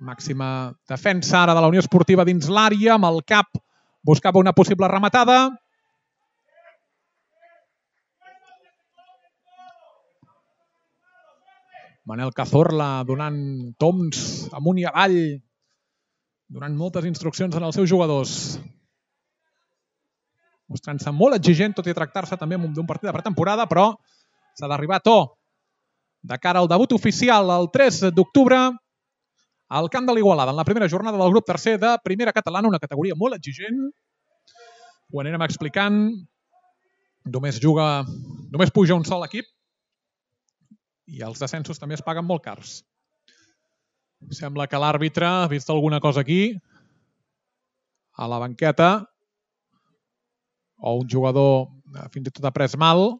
màxima defensa ara de la Unió Esportiva dins l'àrea, amb el cap buscava una possible rematada. Manel Cazorla donant toms amunt i avall, donant moltes instruccions als seus jugadors. Mostrant-se molt exigent, tot i tractar-se també d'un partit de pretemporada, però s'ha d'arribar a to de cara al debut oficial el 3 d'octubre al camp de l'Igualada, en la primera jornada del grup tercer de Primera Catalana, una categoria molt exigent. Ho anirem explicant. Només puja un sol equip i els descensos també es paguen molt cars. Sembla que l'àrbitre ha vist alguna cosa aquí a la banqueta, o un jugador fins i tot ha pres mal,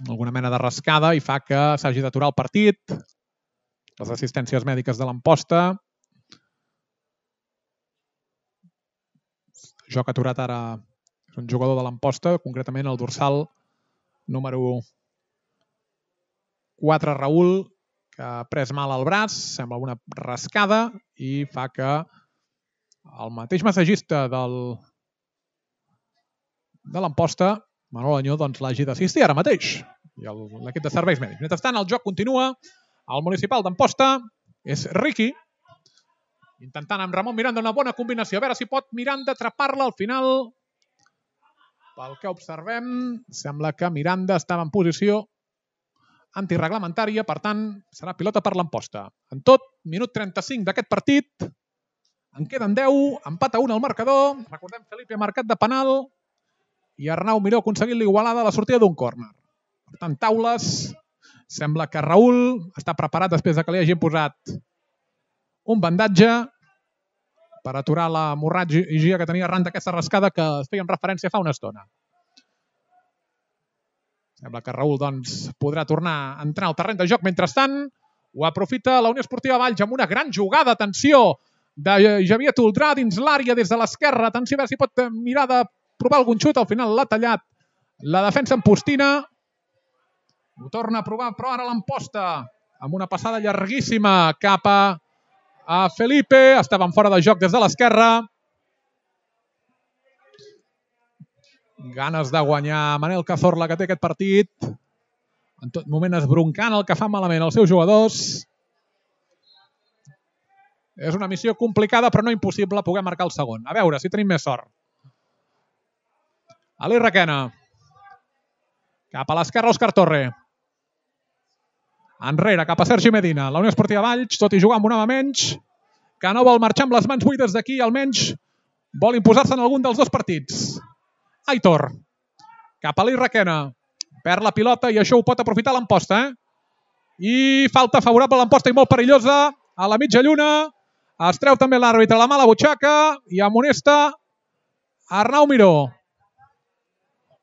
alguna mena de rascada, i fa que s'hagi d'aturar el partit. Les assistències mèdiques de l'emposta. Joc aturat ara és un jugador de l'emposta, concretament el dorsal número 4, Raül, que ha pres mal al braç, sembla una rascada, i fa que el mateix massatgista de l'emposta, Manol Añó, doncs l'hagi d'assistir ara mateix, i l'equip de serveis mèdics. Mentrestant, el joc continua. El municipal d'Amposta és Riqui, intentant amb Ramon Miranda una bona combinació. A veure si pot Miranda atrapar-la al final. Pel que observem, sembla que Miranda estava en posició antireglamentària, per tant, serà pilota per l'Amposta. En tot, minut 35 d'aquest partit. En queden 10, empat a 1 al marcador. Recordem, Felipe ha marcat de penal i Arnau Miró ha aconseguit l'igualada a la sortida d'un córner. Per tant, taules. Sembla que Raül està preparat després que li hagin posat un bandatge per aturar l'hemorràgia que tenia arran d'aquesta rascada que es feia referència fa una estona. Sembla que Raül doncs, podrà tornar a entrar al terreny de joc. Mentrestant, ho aprofita la Unió Esportiva Valls amb una gran jugada. Atenció de Javier Toldrà dins l'àrea des de l'esquerra. Atenció a veure si pot mirar de provar algun xut. Al final l'ha tallat la defensa en postina. Ho torna a provar, però ara l'emposta amb una passada llarguíssima cap a Felipe. Estaven fora de joc des de l'esquerra. Ganes de guanyar Manel Cazorla, que té aquest partit. En tot moment esbroncant el que fan malament els seus jugadors. És una missió complicada, però no impossible poder marcar el segon. A veure si tenim més sort. Ali Requena. Cap a l'esquerra, Òscar Torre. Enrere, cap a Sergi Medina. La Unió Esportiva Valls, tot i jugar amb un home menys, que no vol marxar amb les mans buides d'aquí, almenys vol imposar-se en algun dels dos partits. Aitor. Cap a Ali Requena. Perd la pilota i això ho pot aprofitar l'Amposta. I falta favorable a l'Amposta i molt perillosa a la mitja lluna. Es treu també l'àrbitre la mala butxaca i amonesta Arnau Miró.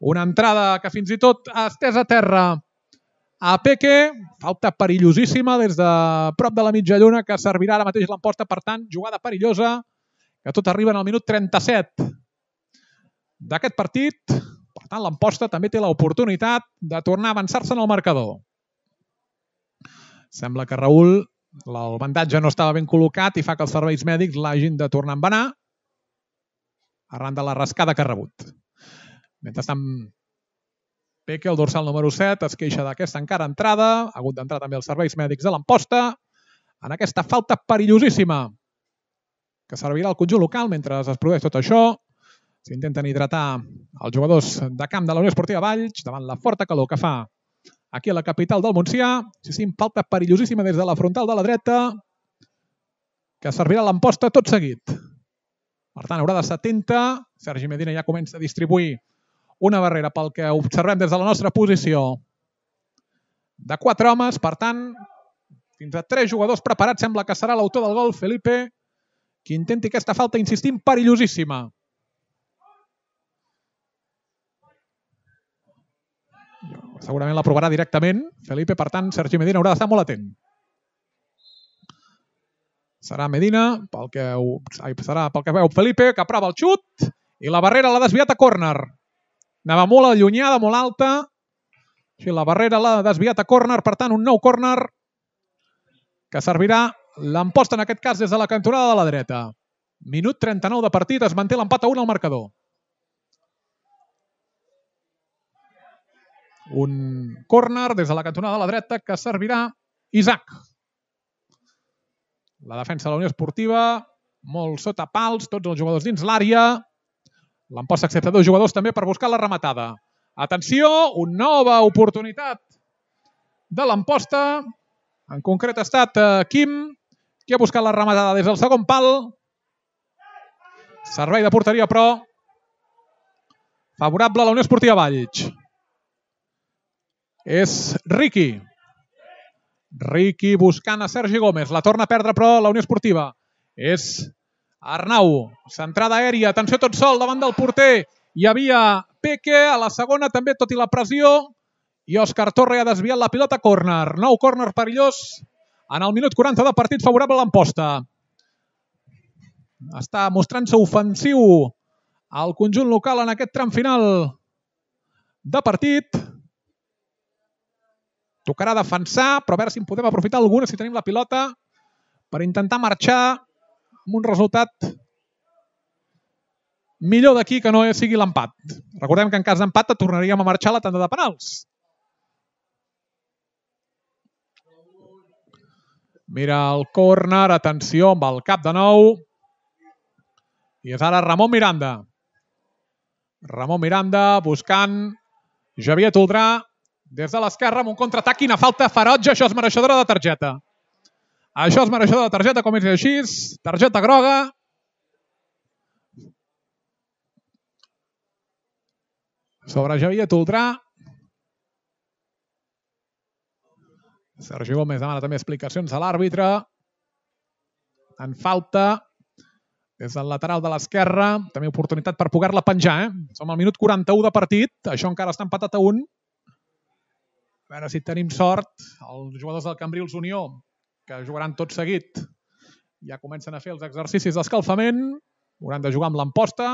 Una entrada que fins i tot ha estès a terra a Peque. Falta perillosíssima des de prop de la mitja lluna que servirà ara mateix l'Amposta. Per tant, jugada perillosa que tot arriba en el minut 37 d'aquest partit. Per tant, l'Amposta també té l'oportunitat de tornar a avançar-se en el marcador. Sembla que Raül, el bandatge no estava ben col·locat i fa que els serveis mèdics l'hagin de tornar a embenar arran de la rascada que ha rebut. Mentrestant, Peque, el dorsal número 7, es queixa d'aquesta encara entrada. Ha hagut d'entrar també els serveis mèdics de l'Amposta en aquesta falta perillosíssima que servirà al conjunt local mentre es produeix tot això. S'intenten hidratar els jugadors de camp de la Unió Esportiva Valls davant la forta calor que fa aquí a la capital del Montsià. Sí, falta perillosíssima des de la frontal de la dreta que servirà l'Amposta tot seguit. Per tant, haurà d'estar atenta. Sergi Medina ja comença a distribuir una barrera pel que observem des de la nostra posició de 4 homes. Per tant, fins a 3 jugadors preparats. Sembla que serà l'autor del gol, Felipe, qui intenti aquesta falta, insistim, perillosíssima. Segurament l'aprovarà directament Felipe, per tant, Sergi Medina haurà d'estar molt atent. Serà Medina, pel que veu Felipe, que aprova el xut i la barrera l'ha desviat a córner. Anava molt allunyada, molt alta. Així, la barrera l'ha desviat a córner, per tant, un nou córner que servirà l'Amposta, en aquest cas, des de la cantonada de la dreta. Minut 39 de partit, es manté l'empat a 1 al marcador. Un córner des de la cantonada de la dreta que servirà Isaac. La defensa de la Unió Esportiva, molt sota pals, tots els jugadors dins l'àrea. L'Amposta accepta 2 jugadors també per buscar la rematada. Atenció, una nova oportunitat de l'Amposta. En concret ha estat Quim, qui ha buscat la rematada des del segon pal. Servei de porteria, però, favorable a la Unió Esportiva Valls. És Riqui. Riqui buscant a Sergi Gómez. La torna a perdre, però, la Unió Esportiva. És Arnau. Centrada aèria. Atenció, tot sol davant del porter. Hi havia Peque. A la segona també, tot i la pressió. I Òscar Torre ha desviat la pilota a córner. Nou córner perillós en el minut 40 de partit, favorable a l'Amposta. Està mostrant-se ofensiu al conjunt local en aquest tram final de partit. Tocarà defensar, però a veure si en podem aprofitar alguna, si tenim la pilota, per intentar marxar amb un resultat millor d'aquí que no sigui l'empat. Recordem que en cas d'empat tornaríem a marxar a la tanda de penals. Mira el córner, atenció amb el cap de nou. I és ara Ramon Miranda. Ramon Miranda buscant Javier Toldrà des de l'esquerra amb un contraatac. Quina falta ferotge, això és mereixedora de targeta. Això és mereixedora de targeta, com és així. Targeta groga. Sobre Javier Toldrà. Sergi Gómez demana també explicacions a l'àrbitre. en falta des del lateral de l'esquerra. També oportunitat per poder-la penjar. Som al minut 41 de partit. Això encara està empatat a 1. A veure si tenim sort. Els jugadors del Cambrils Unió, que jugaran tot seguit, ja comencen a fer els exercicis d'escalfament. Hauran de jugar amb l'Amposta.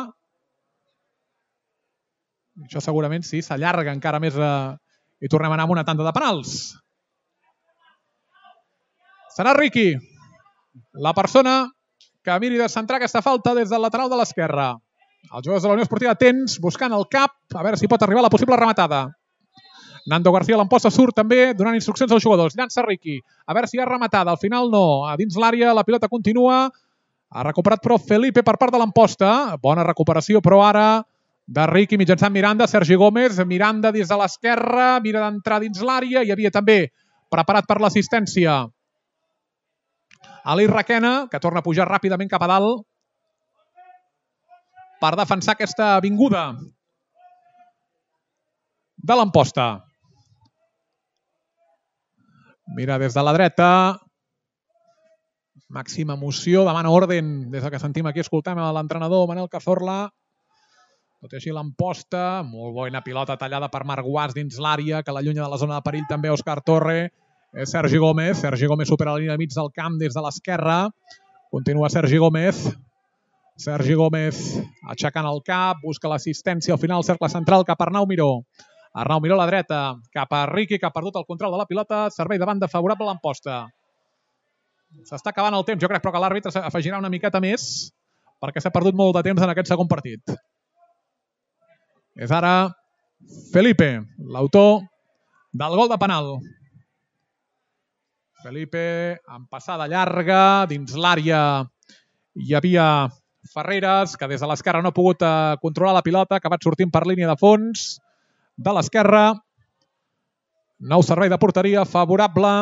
Això segurament sí, s'allarga encara més i tornem a anar amb una tanda de penals. Serà Riqui la persona que miri de centrar aquesta falta des del lateral de l'esquerra. Els jugadors de la Unió Esportiva atents, buscant el cap, a veure si pot arribar la possible rematada. Nando García l'Amposta surt també donant instruccions als jugadors. Llança Riqui, a veure si hi ha rematada. Al final no, a dins l'àrea la pilota continua. Ha recuperat però Felipe per part de l'Amposta. Bona recuperació però ara de Riqui mitjançant Miranda. Sergi Gómez, Miranda des de l'esquerra, mira d'entrar dins l'àrea. Hi havia també preparat per l'assistència Ali Requena, que torna a pujar ràpidament cap a dalt per defensar aquesta vinguda de l'Amposta. Mira des de la dreta. Màxima emoció, demana orden des que sentim aquí, escoltem l'entrenador Manel Cazorla. Tot i així l'Amposta, molt bona pilota tallada per Marc Guas dins l'àrea, que l'allunya de la zona de perill també Òscar Torre. Sergi Gómez supera la línia de mig del camp des de l'esquerra. Continua Sergi Gómez. Sergi Gómez aixecant el cap, busca l'assistència al final, cercle central cap a Arnau Miró. Arnau Miró a la dreta, cap a Riqui, que ha perdut el control de la pilota. Servei de banda favorable a l'Amposta. S'està acabant el temps, jo crec, però que l'àrbitre afegirà una miqueta més perquè s'ha perdut molt de temps en aquest segon partit. És ara Felipe, l'autor del gol de penal. Felipe amb passada llarga, dins l'àrea hi havia Ferreres, que des de l'esquerra no ha pogut controlar la pilota, ha acabat sortint per línia de fons de l'esquerra. Nou servei de porteria favorable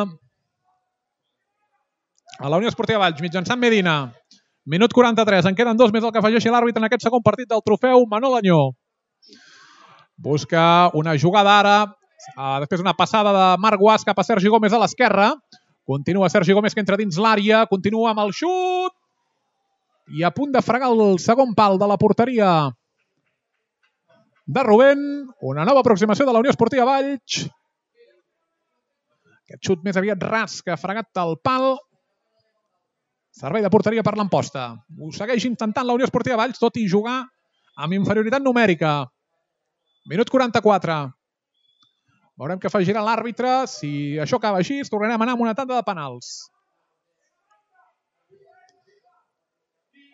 a la Unió Esportiva Valls, mitjançant Medina. Minut 43, en queden 2 més el que afegeixi l'àrbitre en aquest segon partit del trofeu. Manol Añó busca una jugada ara, després una passada de Marc Guas cap a Sergi Gómez a l'esquerra. Continua Sergi Gómez, que entra dins l'àrea, continua amb el xut i a punt de fregar el segon pal de la porteria de Rubén. Una nova aproximació de la Unió Esportiva Valls. Aquest xut més aviat ras que ha fregat el pal. Servei de porteria per l'Amposta. Ho segueix intentant la Unió Esportiva Valls, tot i jugar amb inferioritat numèrica. Minut 44. Veurem què afegirà l'àrbitre. Si això acaba així, tornarem a anar amb una tanda de penals.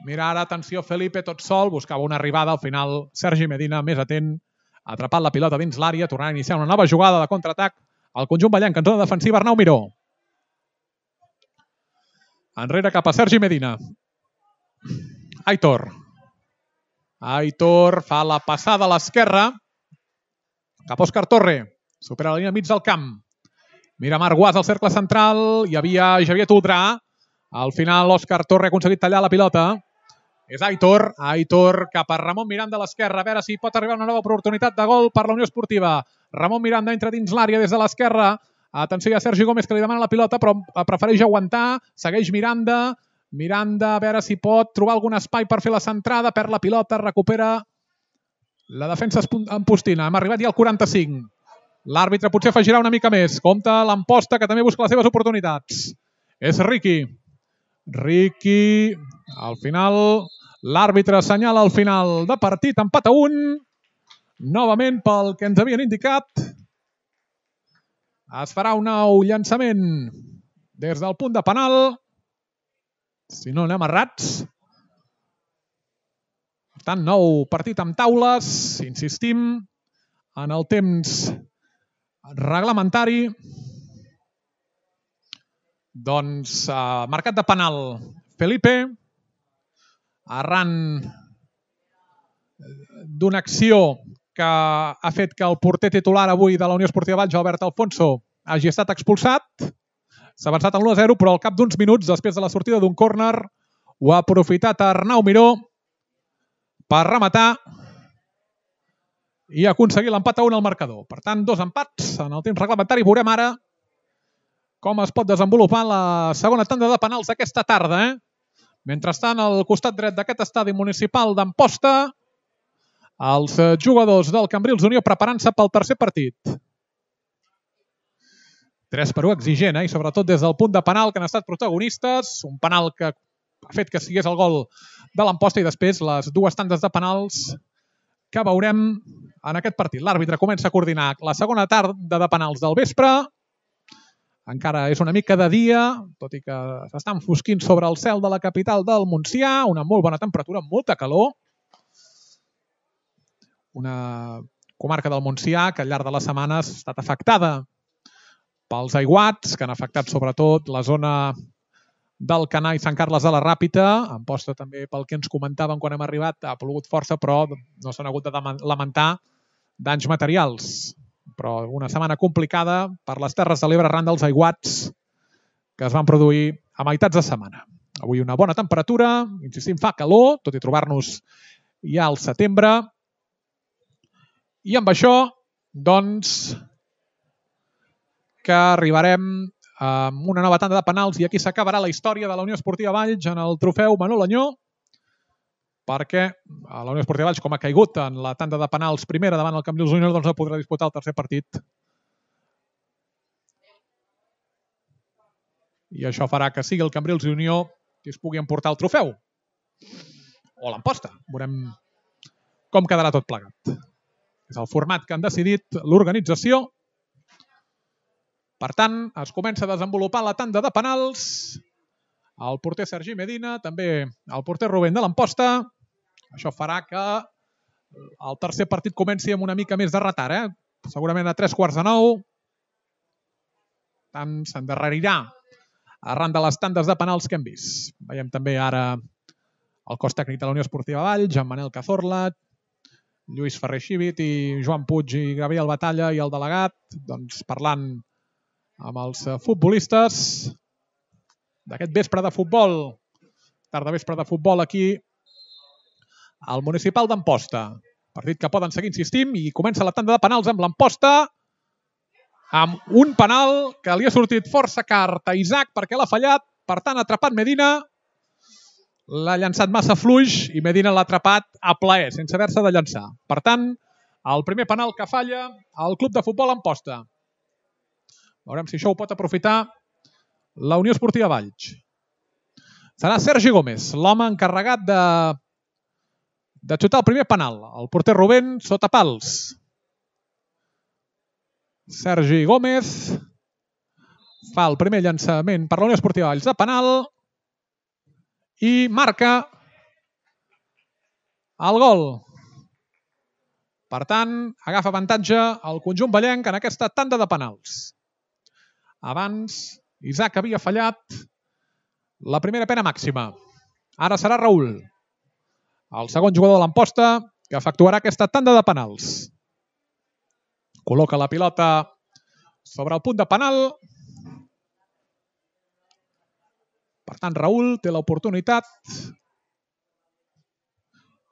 Mira ara, atenció, Felipe tot sol. Buscava una arribada. Al final, Sergi Medina, més atent, ha atrapat la pilota dins l'àrea. Tornarà a iniciar una nova jugada de contraatac al conjunt ballenc, en zona defensiva, Arnau Miró. Enrere cap a Sergi Medina. Aitor fa la passada a l'esquerra cap a Òscar Torre. Supera la línia mig del camp. Mira Marc Guas al cercle central. Hi havia Javier Toldrà. Al final Òscar Torre ha aconseguit tallar la pilota. És Aitor cap a Ramon Miranda a l'esquerra. A veure si pot arribar una nova oportunitat de gol per la Unió Esportiva. Ramon Miranda entra dins l'àrea des de l'esquerra. Atenció a Sergi Gómez, que li demana la pilota, però prefereix aguantar. Segueix Miranda. Miranda, a veure si pot trobar algun espai per fer la centrada. Perd la pilota, recupera la defensa ampostina. Hem arribat ja al 45. L'àrbitre potser afegirà una mica més. Compte l'Amposta, que també busca les seves oportunitats. És Riqui. Al final, l'àrbitre assenyala al final de partit, empat a 1. Novament, pel que ens havien indicat, es farà un nou llançament des del punt de penal. Si no anem errats. Per tant, nou partit amb taules. Insistim en el temps reglamentari. Doncs marcat de penal Felipe, arran d'una acció que ha fet que el porter titular avui de la Unió Esportiva Valls, Albert Alfonso, hagi estat expulsat. S'ha avançat al 1-0, però al cap d'uns minuts, després de la sortida d'un córner, ho ha aprofitat Arnau Miró per rematar i aconseguir l'empat a 1 al marcador. Per tant, 2 empats en el temps reglamentari. Veurem ara com es pot desenvolupar la segona tanda de penals aquesta tarda. Mentrestant, al costat dret d'aquest estadi municipal d'Amposta, els jugadors del Cambrils Unió preparant-se pel tercer partit. 3-1 exigent, i sobretot des del punt de penal que han estat protagonistes. Un penal que ha fet que sigués el gol de l'Amposta i després les dues tandes de penals que veurem en aquest partit. L'àrbitre comença a coordinar la segona tarda de penals del vespre. Encara és una mica de dia, tot i que s'està enfosquint sobre el cel de la capital del Montsià. Una molt bona temperatura, molta calor. Una comarca del Montsià que al llarg de les setmanes ha estat afectada pels aiguats, que han afectat sobretot la zona d'Alcanar i Sant Carles de la Ràpita. Amposta també, pel que ens comentaven quan hem arribat, ha plogut força, però no s'han hagut de lamentar danys materials. Però una setmana complicada per les Terres de l'Ebre arran dels aiguats que es van produir a meitats de setmana. Avui una bona temperatura, insistim, fa calor, tot i trobar-nos ja al setembre. I amb això, doncs, que arribarem amb una nova tanda de penals i aquí s'acabarà la història de la Unió Esportiva Valls en el trofeu Manol Añó, perquè la Unió Esportiva Valls, com ha caigut en la tanda de penals primera davant el Cambrils Unió, doncs no podrà disputar el tercer partit. I això farà que sigui el Cambrils Unió qui es pugui emportar el trofeu. O l'Amposta. Veurem com quedarà tot plegat. És el format que han decidit l'organització. Per tant, es comença a desenvolupar la tanda de penals. El porter Sergi Medina, també el porter Rubén de l'Amposta. Això farà que el tercer partit comenci amb una mica més de retard. Segurament a 8:45. Tant s'endarrerirà arran de les tandes de penals que hem vist. Veiem també ara el cos tècnic de la Unió Esportiva Valls, en Manel Cazorla, Lluís Ferrer Xívit i Joan Puig i Gabriel Batalla i el delegat, doncs parlant amb els futbolistes d'aquest vespre de futbol, tarda vespre de futbol aquí al municipal d'Amposta. Partit que poden seguir insistint i comença la tanda de penals amb l'Amposta, amb un penal que li ha sortit força car a Isaac perquè l'ha fallat, per tant ha atrapat Medina, l'ha llançat massa fluix i Medina l'ha atrapat a plaer, sense haver-se de llançar. Per tant, el primer penal que falla al club de futbol Amposta. Veurem si això ho pot aprofitar la Unió Esportiva Valls. Serà Sergi Gómez, l'home encarregat de xutar el primer penal. El porter Rubén sota pals. Sergi Gómez fa el primer llançament per la Unió Esportiva Valls de penal i marca el gol. Per tant, agafa avantatge el conjunt vallenc en aquesta tanda de penals. Abans, Isaac havia fallat la primera pena màxima. Ara serà Raül, el segon jugador de l'Amposta, que efectuarà aquesta tanda de penals. Col·loca la pilota sobre el punt de penal. Per tant, Raül té l'oportunitat,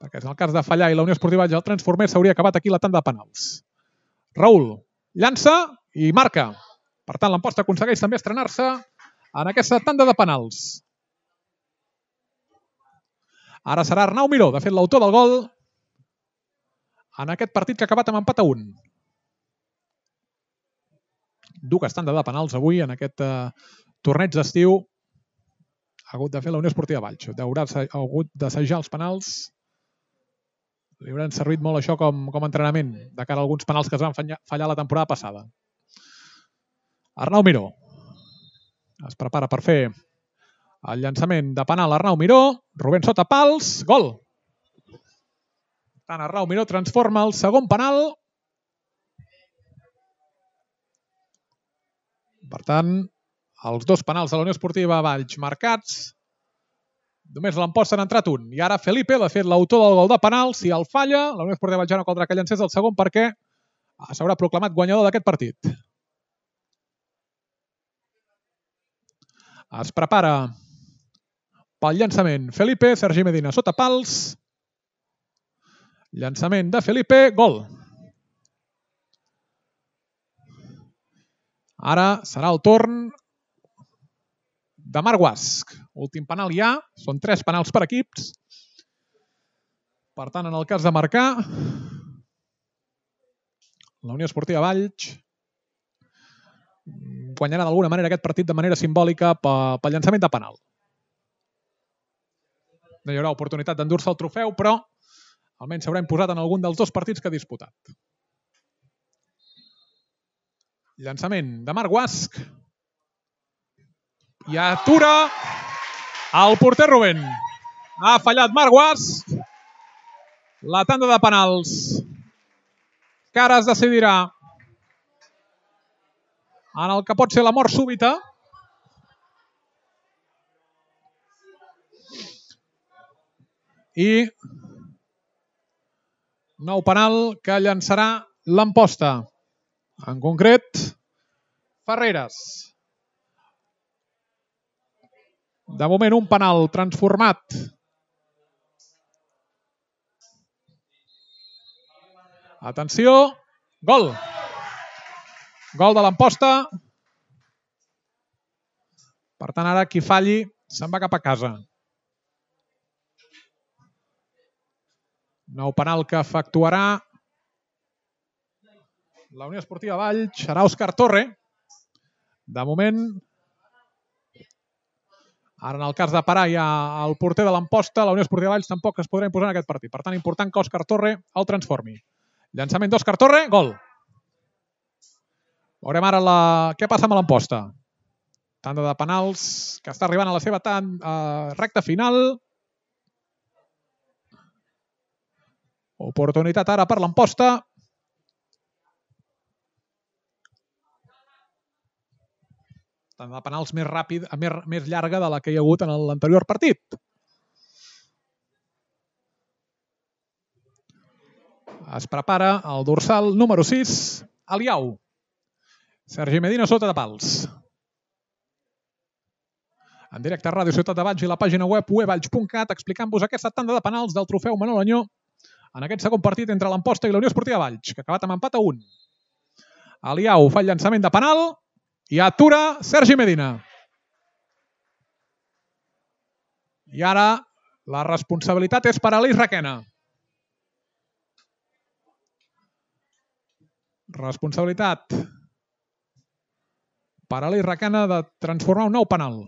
perquè en el cas de fallar i la Unió Esportiva Valls el transformés, s'hauria acabat aquí la tanda de penals. Raül llança i marca. Per tant, l'Amposta aconsegueix també estrenar-se en aquesta tanda de penals. Ara serà Arnau Miró, de fet l'autor del gol, en aquest partit que ha acabat amb empat a 1. Dues tandes de penals avui en aquest torneig d'estiu. Ha hagut de fer la Unió Esportiva Valls. Haurà hagut d'assajar els penals. Li hauran servit molt això com a entrenament de cara a alguns penals que es van fallar la temporada passada. Arnau Miró es prepara per fer el llançament de penal. Arnau Miró, Rubén sota pals, gol. Tant Arnau Miró transforma el segon penal. Per tant, els dos penals de la Unió Esportiva Valls marcats. Només l'Amposta n'ha entrat un. I ara Felipe, de fet, l'autor del gol de penal, si el falla, la Unió Esportiva Valls ja no caldrà que llancés el segon perquè s'haurà proclamat guanyador d'aquest partit. Es prepara pel llançament Felipe, Sergi Medina sota pals. Llançament de Felipe, gol. Ara serà el torn de Marc Guasch. Últim penal ja, són 3 penals per equips. Per tant, en el cas de marcar, la Unió Esportiva Valls guanyarà d'alguna manera aquest partit de manera simbòlica pel llançament de penal. No hi haurà oportunitat d'endur-se el trofeu, però almenys s'haurà imposat en algun dels 2 partits que ha disputat. Llançament de Marc Guasch. I atura el porter Rubén. Ha fallat Marc Guasch. La tanda de penals que ara es decidirà en el que pot ser la mort súbita. I nou penal que llançarà l'Amposta. En concret, Ferreres. De moment un penal transformat atenció, gol. Gol de l'Amposta. Per tant, ara qui falli se'n va cap a casa. Nou penal que efectuarà la Unió Esportiva Valls. Serà Òscar Torre. De moment, ara en el cas de parar ja el porter de l'Amposta, la Unió Esportiva Valls tampoc es podrà imposar en aquest partit. Per tant, important que Òscar Torre el transformi. Llançament d'Òscar Torre, gol. Veurem ara què passa amb l'Amposta. Tanda de penals que està arribant a la seva recta final. Oportunitat ara per l'Amposta. Tanda de penals més llarga de la que hi ha hagut en l'anterior partit. Es prepara el dorsal número 6, Aliau. Sergi Medina sota de pals. En directe a Ràdio Ciutat de Valls i la pàgina web wevalls.cat explicant-vos aquesta tanda de penals del trofeu Manol Añó en aquest segon partit entre l'Amposta i la Unió Esportiva Valls, que ha acabat amb empat a 1. Aliau fa el llançament de penal i atura Sergi Medina. I ara la responsabilitat és per a Aleix Requena. Responsabilitat per a Aleix Requena de transformar un nou penal.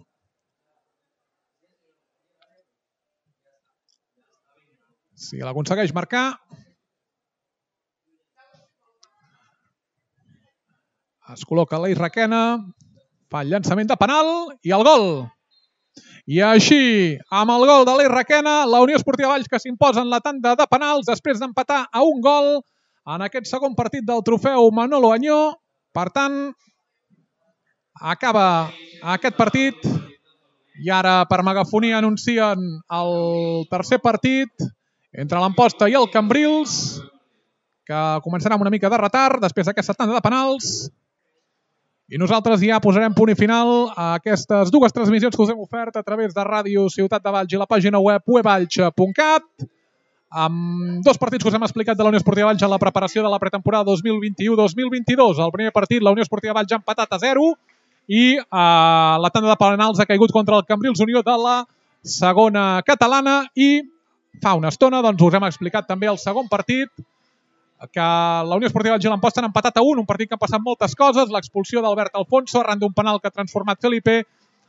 Si l'aconsegueix marcar, es col·loca Aleix Requena, fa el llançament de penal i el gol. I així, amb el gol d'Aleix Requena, la Unió Esportiva Valls que s'imposa en la tanda de penals després d'empatar a 1 gol en aquest segon partit del trofeu Manolo Añó. Per tant, acaba aquest partit i ara per megafonia anuncien el tercer partit entre l'Amposta i el Cambrils, que començarà amb una mica de retard després d'aquesta tanda de penals. I nosaltres ja posarem punt i final a aquestes 2 transmissions que us hem ofert a través de Ràdio Ciutat de Valls i la pàgina web wevalls.cat, amb 2 partits que us hem explicat de la Unió Esportiva Valls en la preparació de la pretemporada 2021-2022. El primer partit, la Unió Esportiva Valls ha empatat a 0 i la tanda de penals ha caigut contra el Cambrils Unió de la segona catalana. I fa una estona us hem explicat també el segon partit, que la Unió Esportiva Valls i l'Amposta han empatat a 1, un partit que han passat moltes coses, l'expulsió d'Albert Alfonso arran d'un penal que ha transformat Felipe,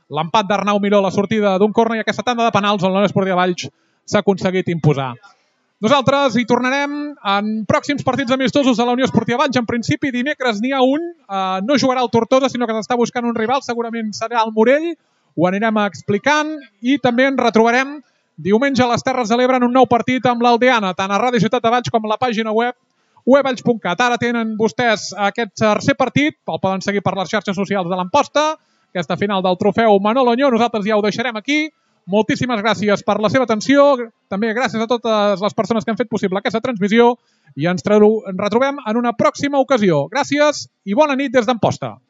l'empat d'Arnau Miró a la sortida d'un córner i aquesta tanda de penals on la Unió Esportiva Valls s'ha aconseguit imposar. Nosaltres hi tornarem en pròxims partits amistosos de la Unió Esportiva Valls. En principi, dimecres n'hi ha un. No jugarà el Tortosa, sinó que s'està buscant un rival. Segurament serà el Morell. Ho anirem explicant. I també ens retrobarem diumenge a les Terres de l'Ebre en un nou partit amb l'Aldeana, tant a Ràdio Ciutat de Valls com a la pàgina web wevalls.cat. Ara tenen vostès aquest tercer partit. El poden seguir per les xarxes socials de l'Amposta. Aquesta final del trofeu Manolo Añó. Nosaltres ja ho deixarem aquí. Moltíssimes gràcies per la seva atenció. També gràcies a totes les persones que han fet possible aquesta transmissió i ens retrobem en una pròxima ocasió. Gràcies i bona nit des d'Amposta.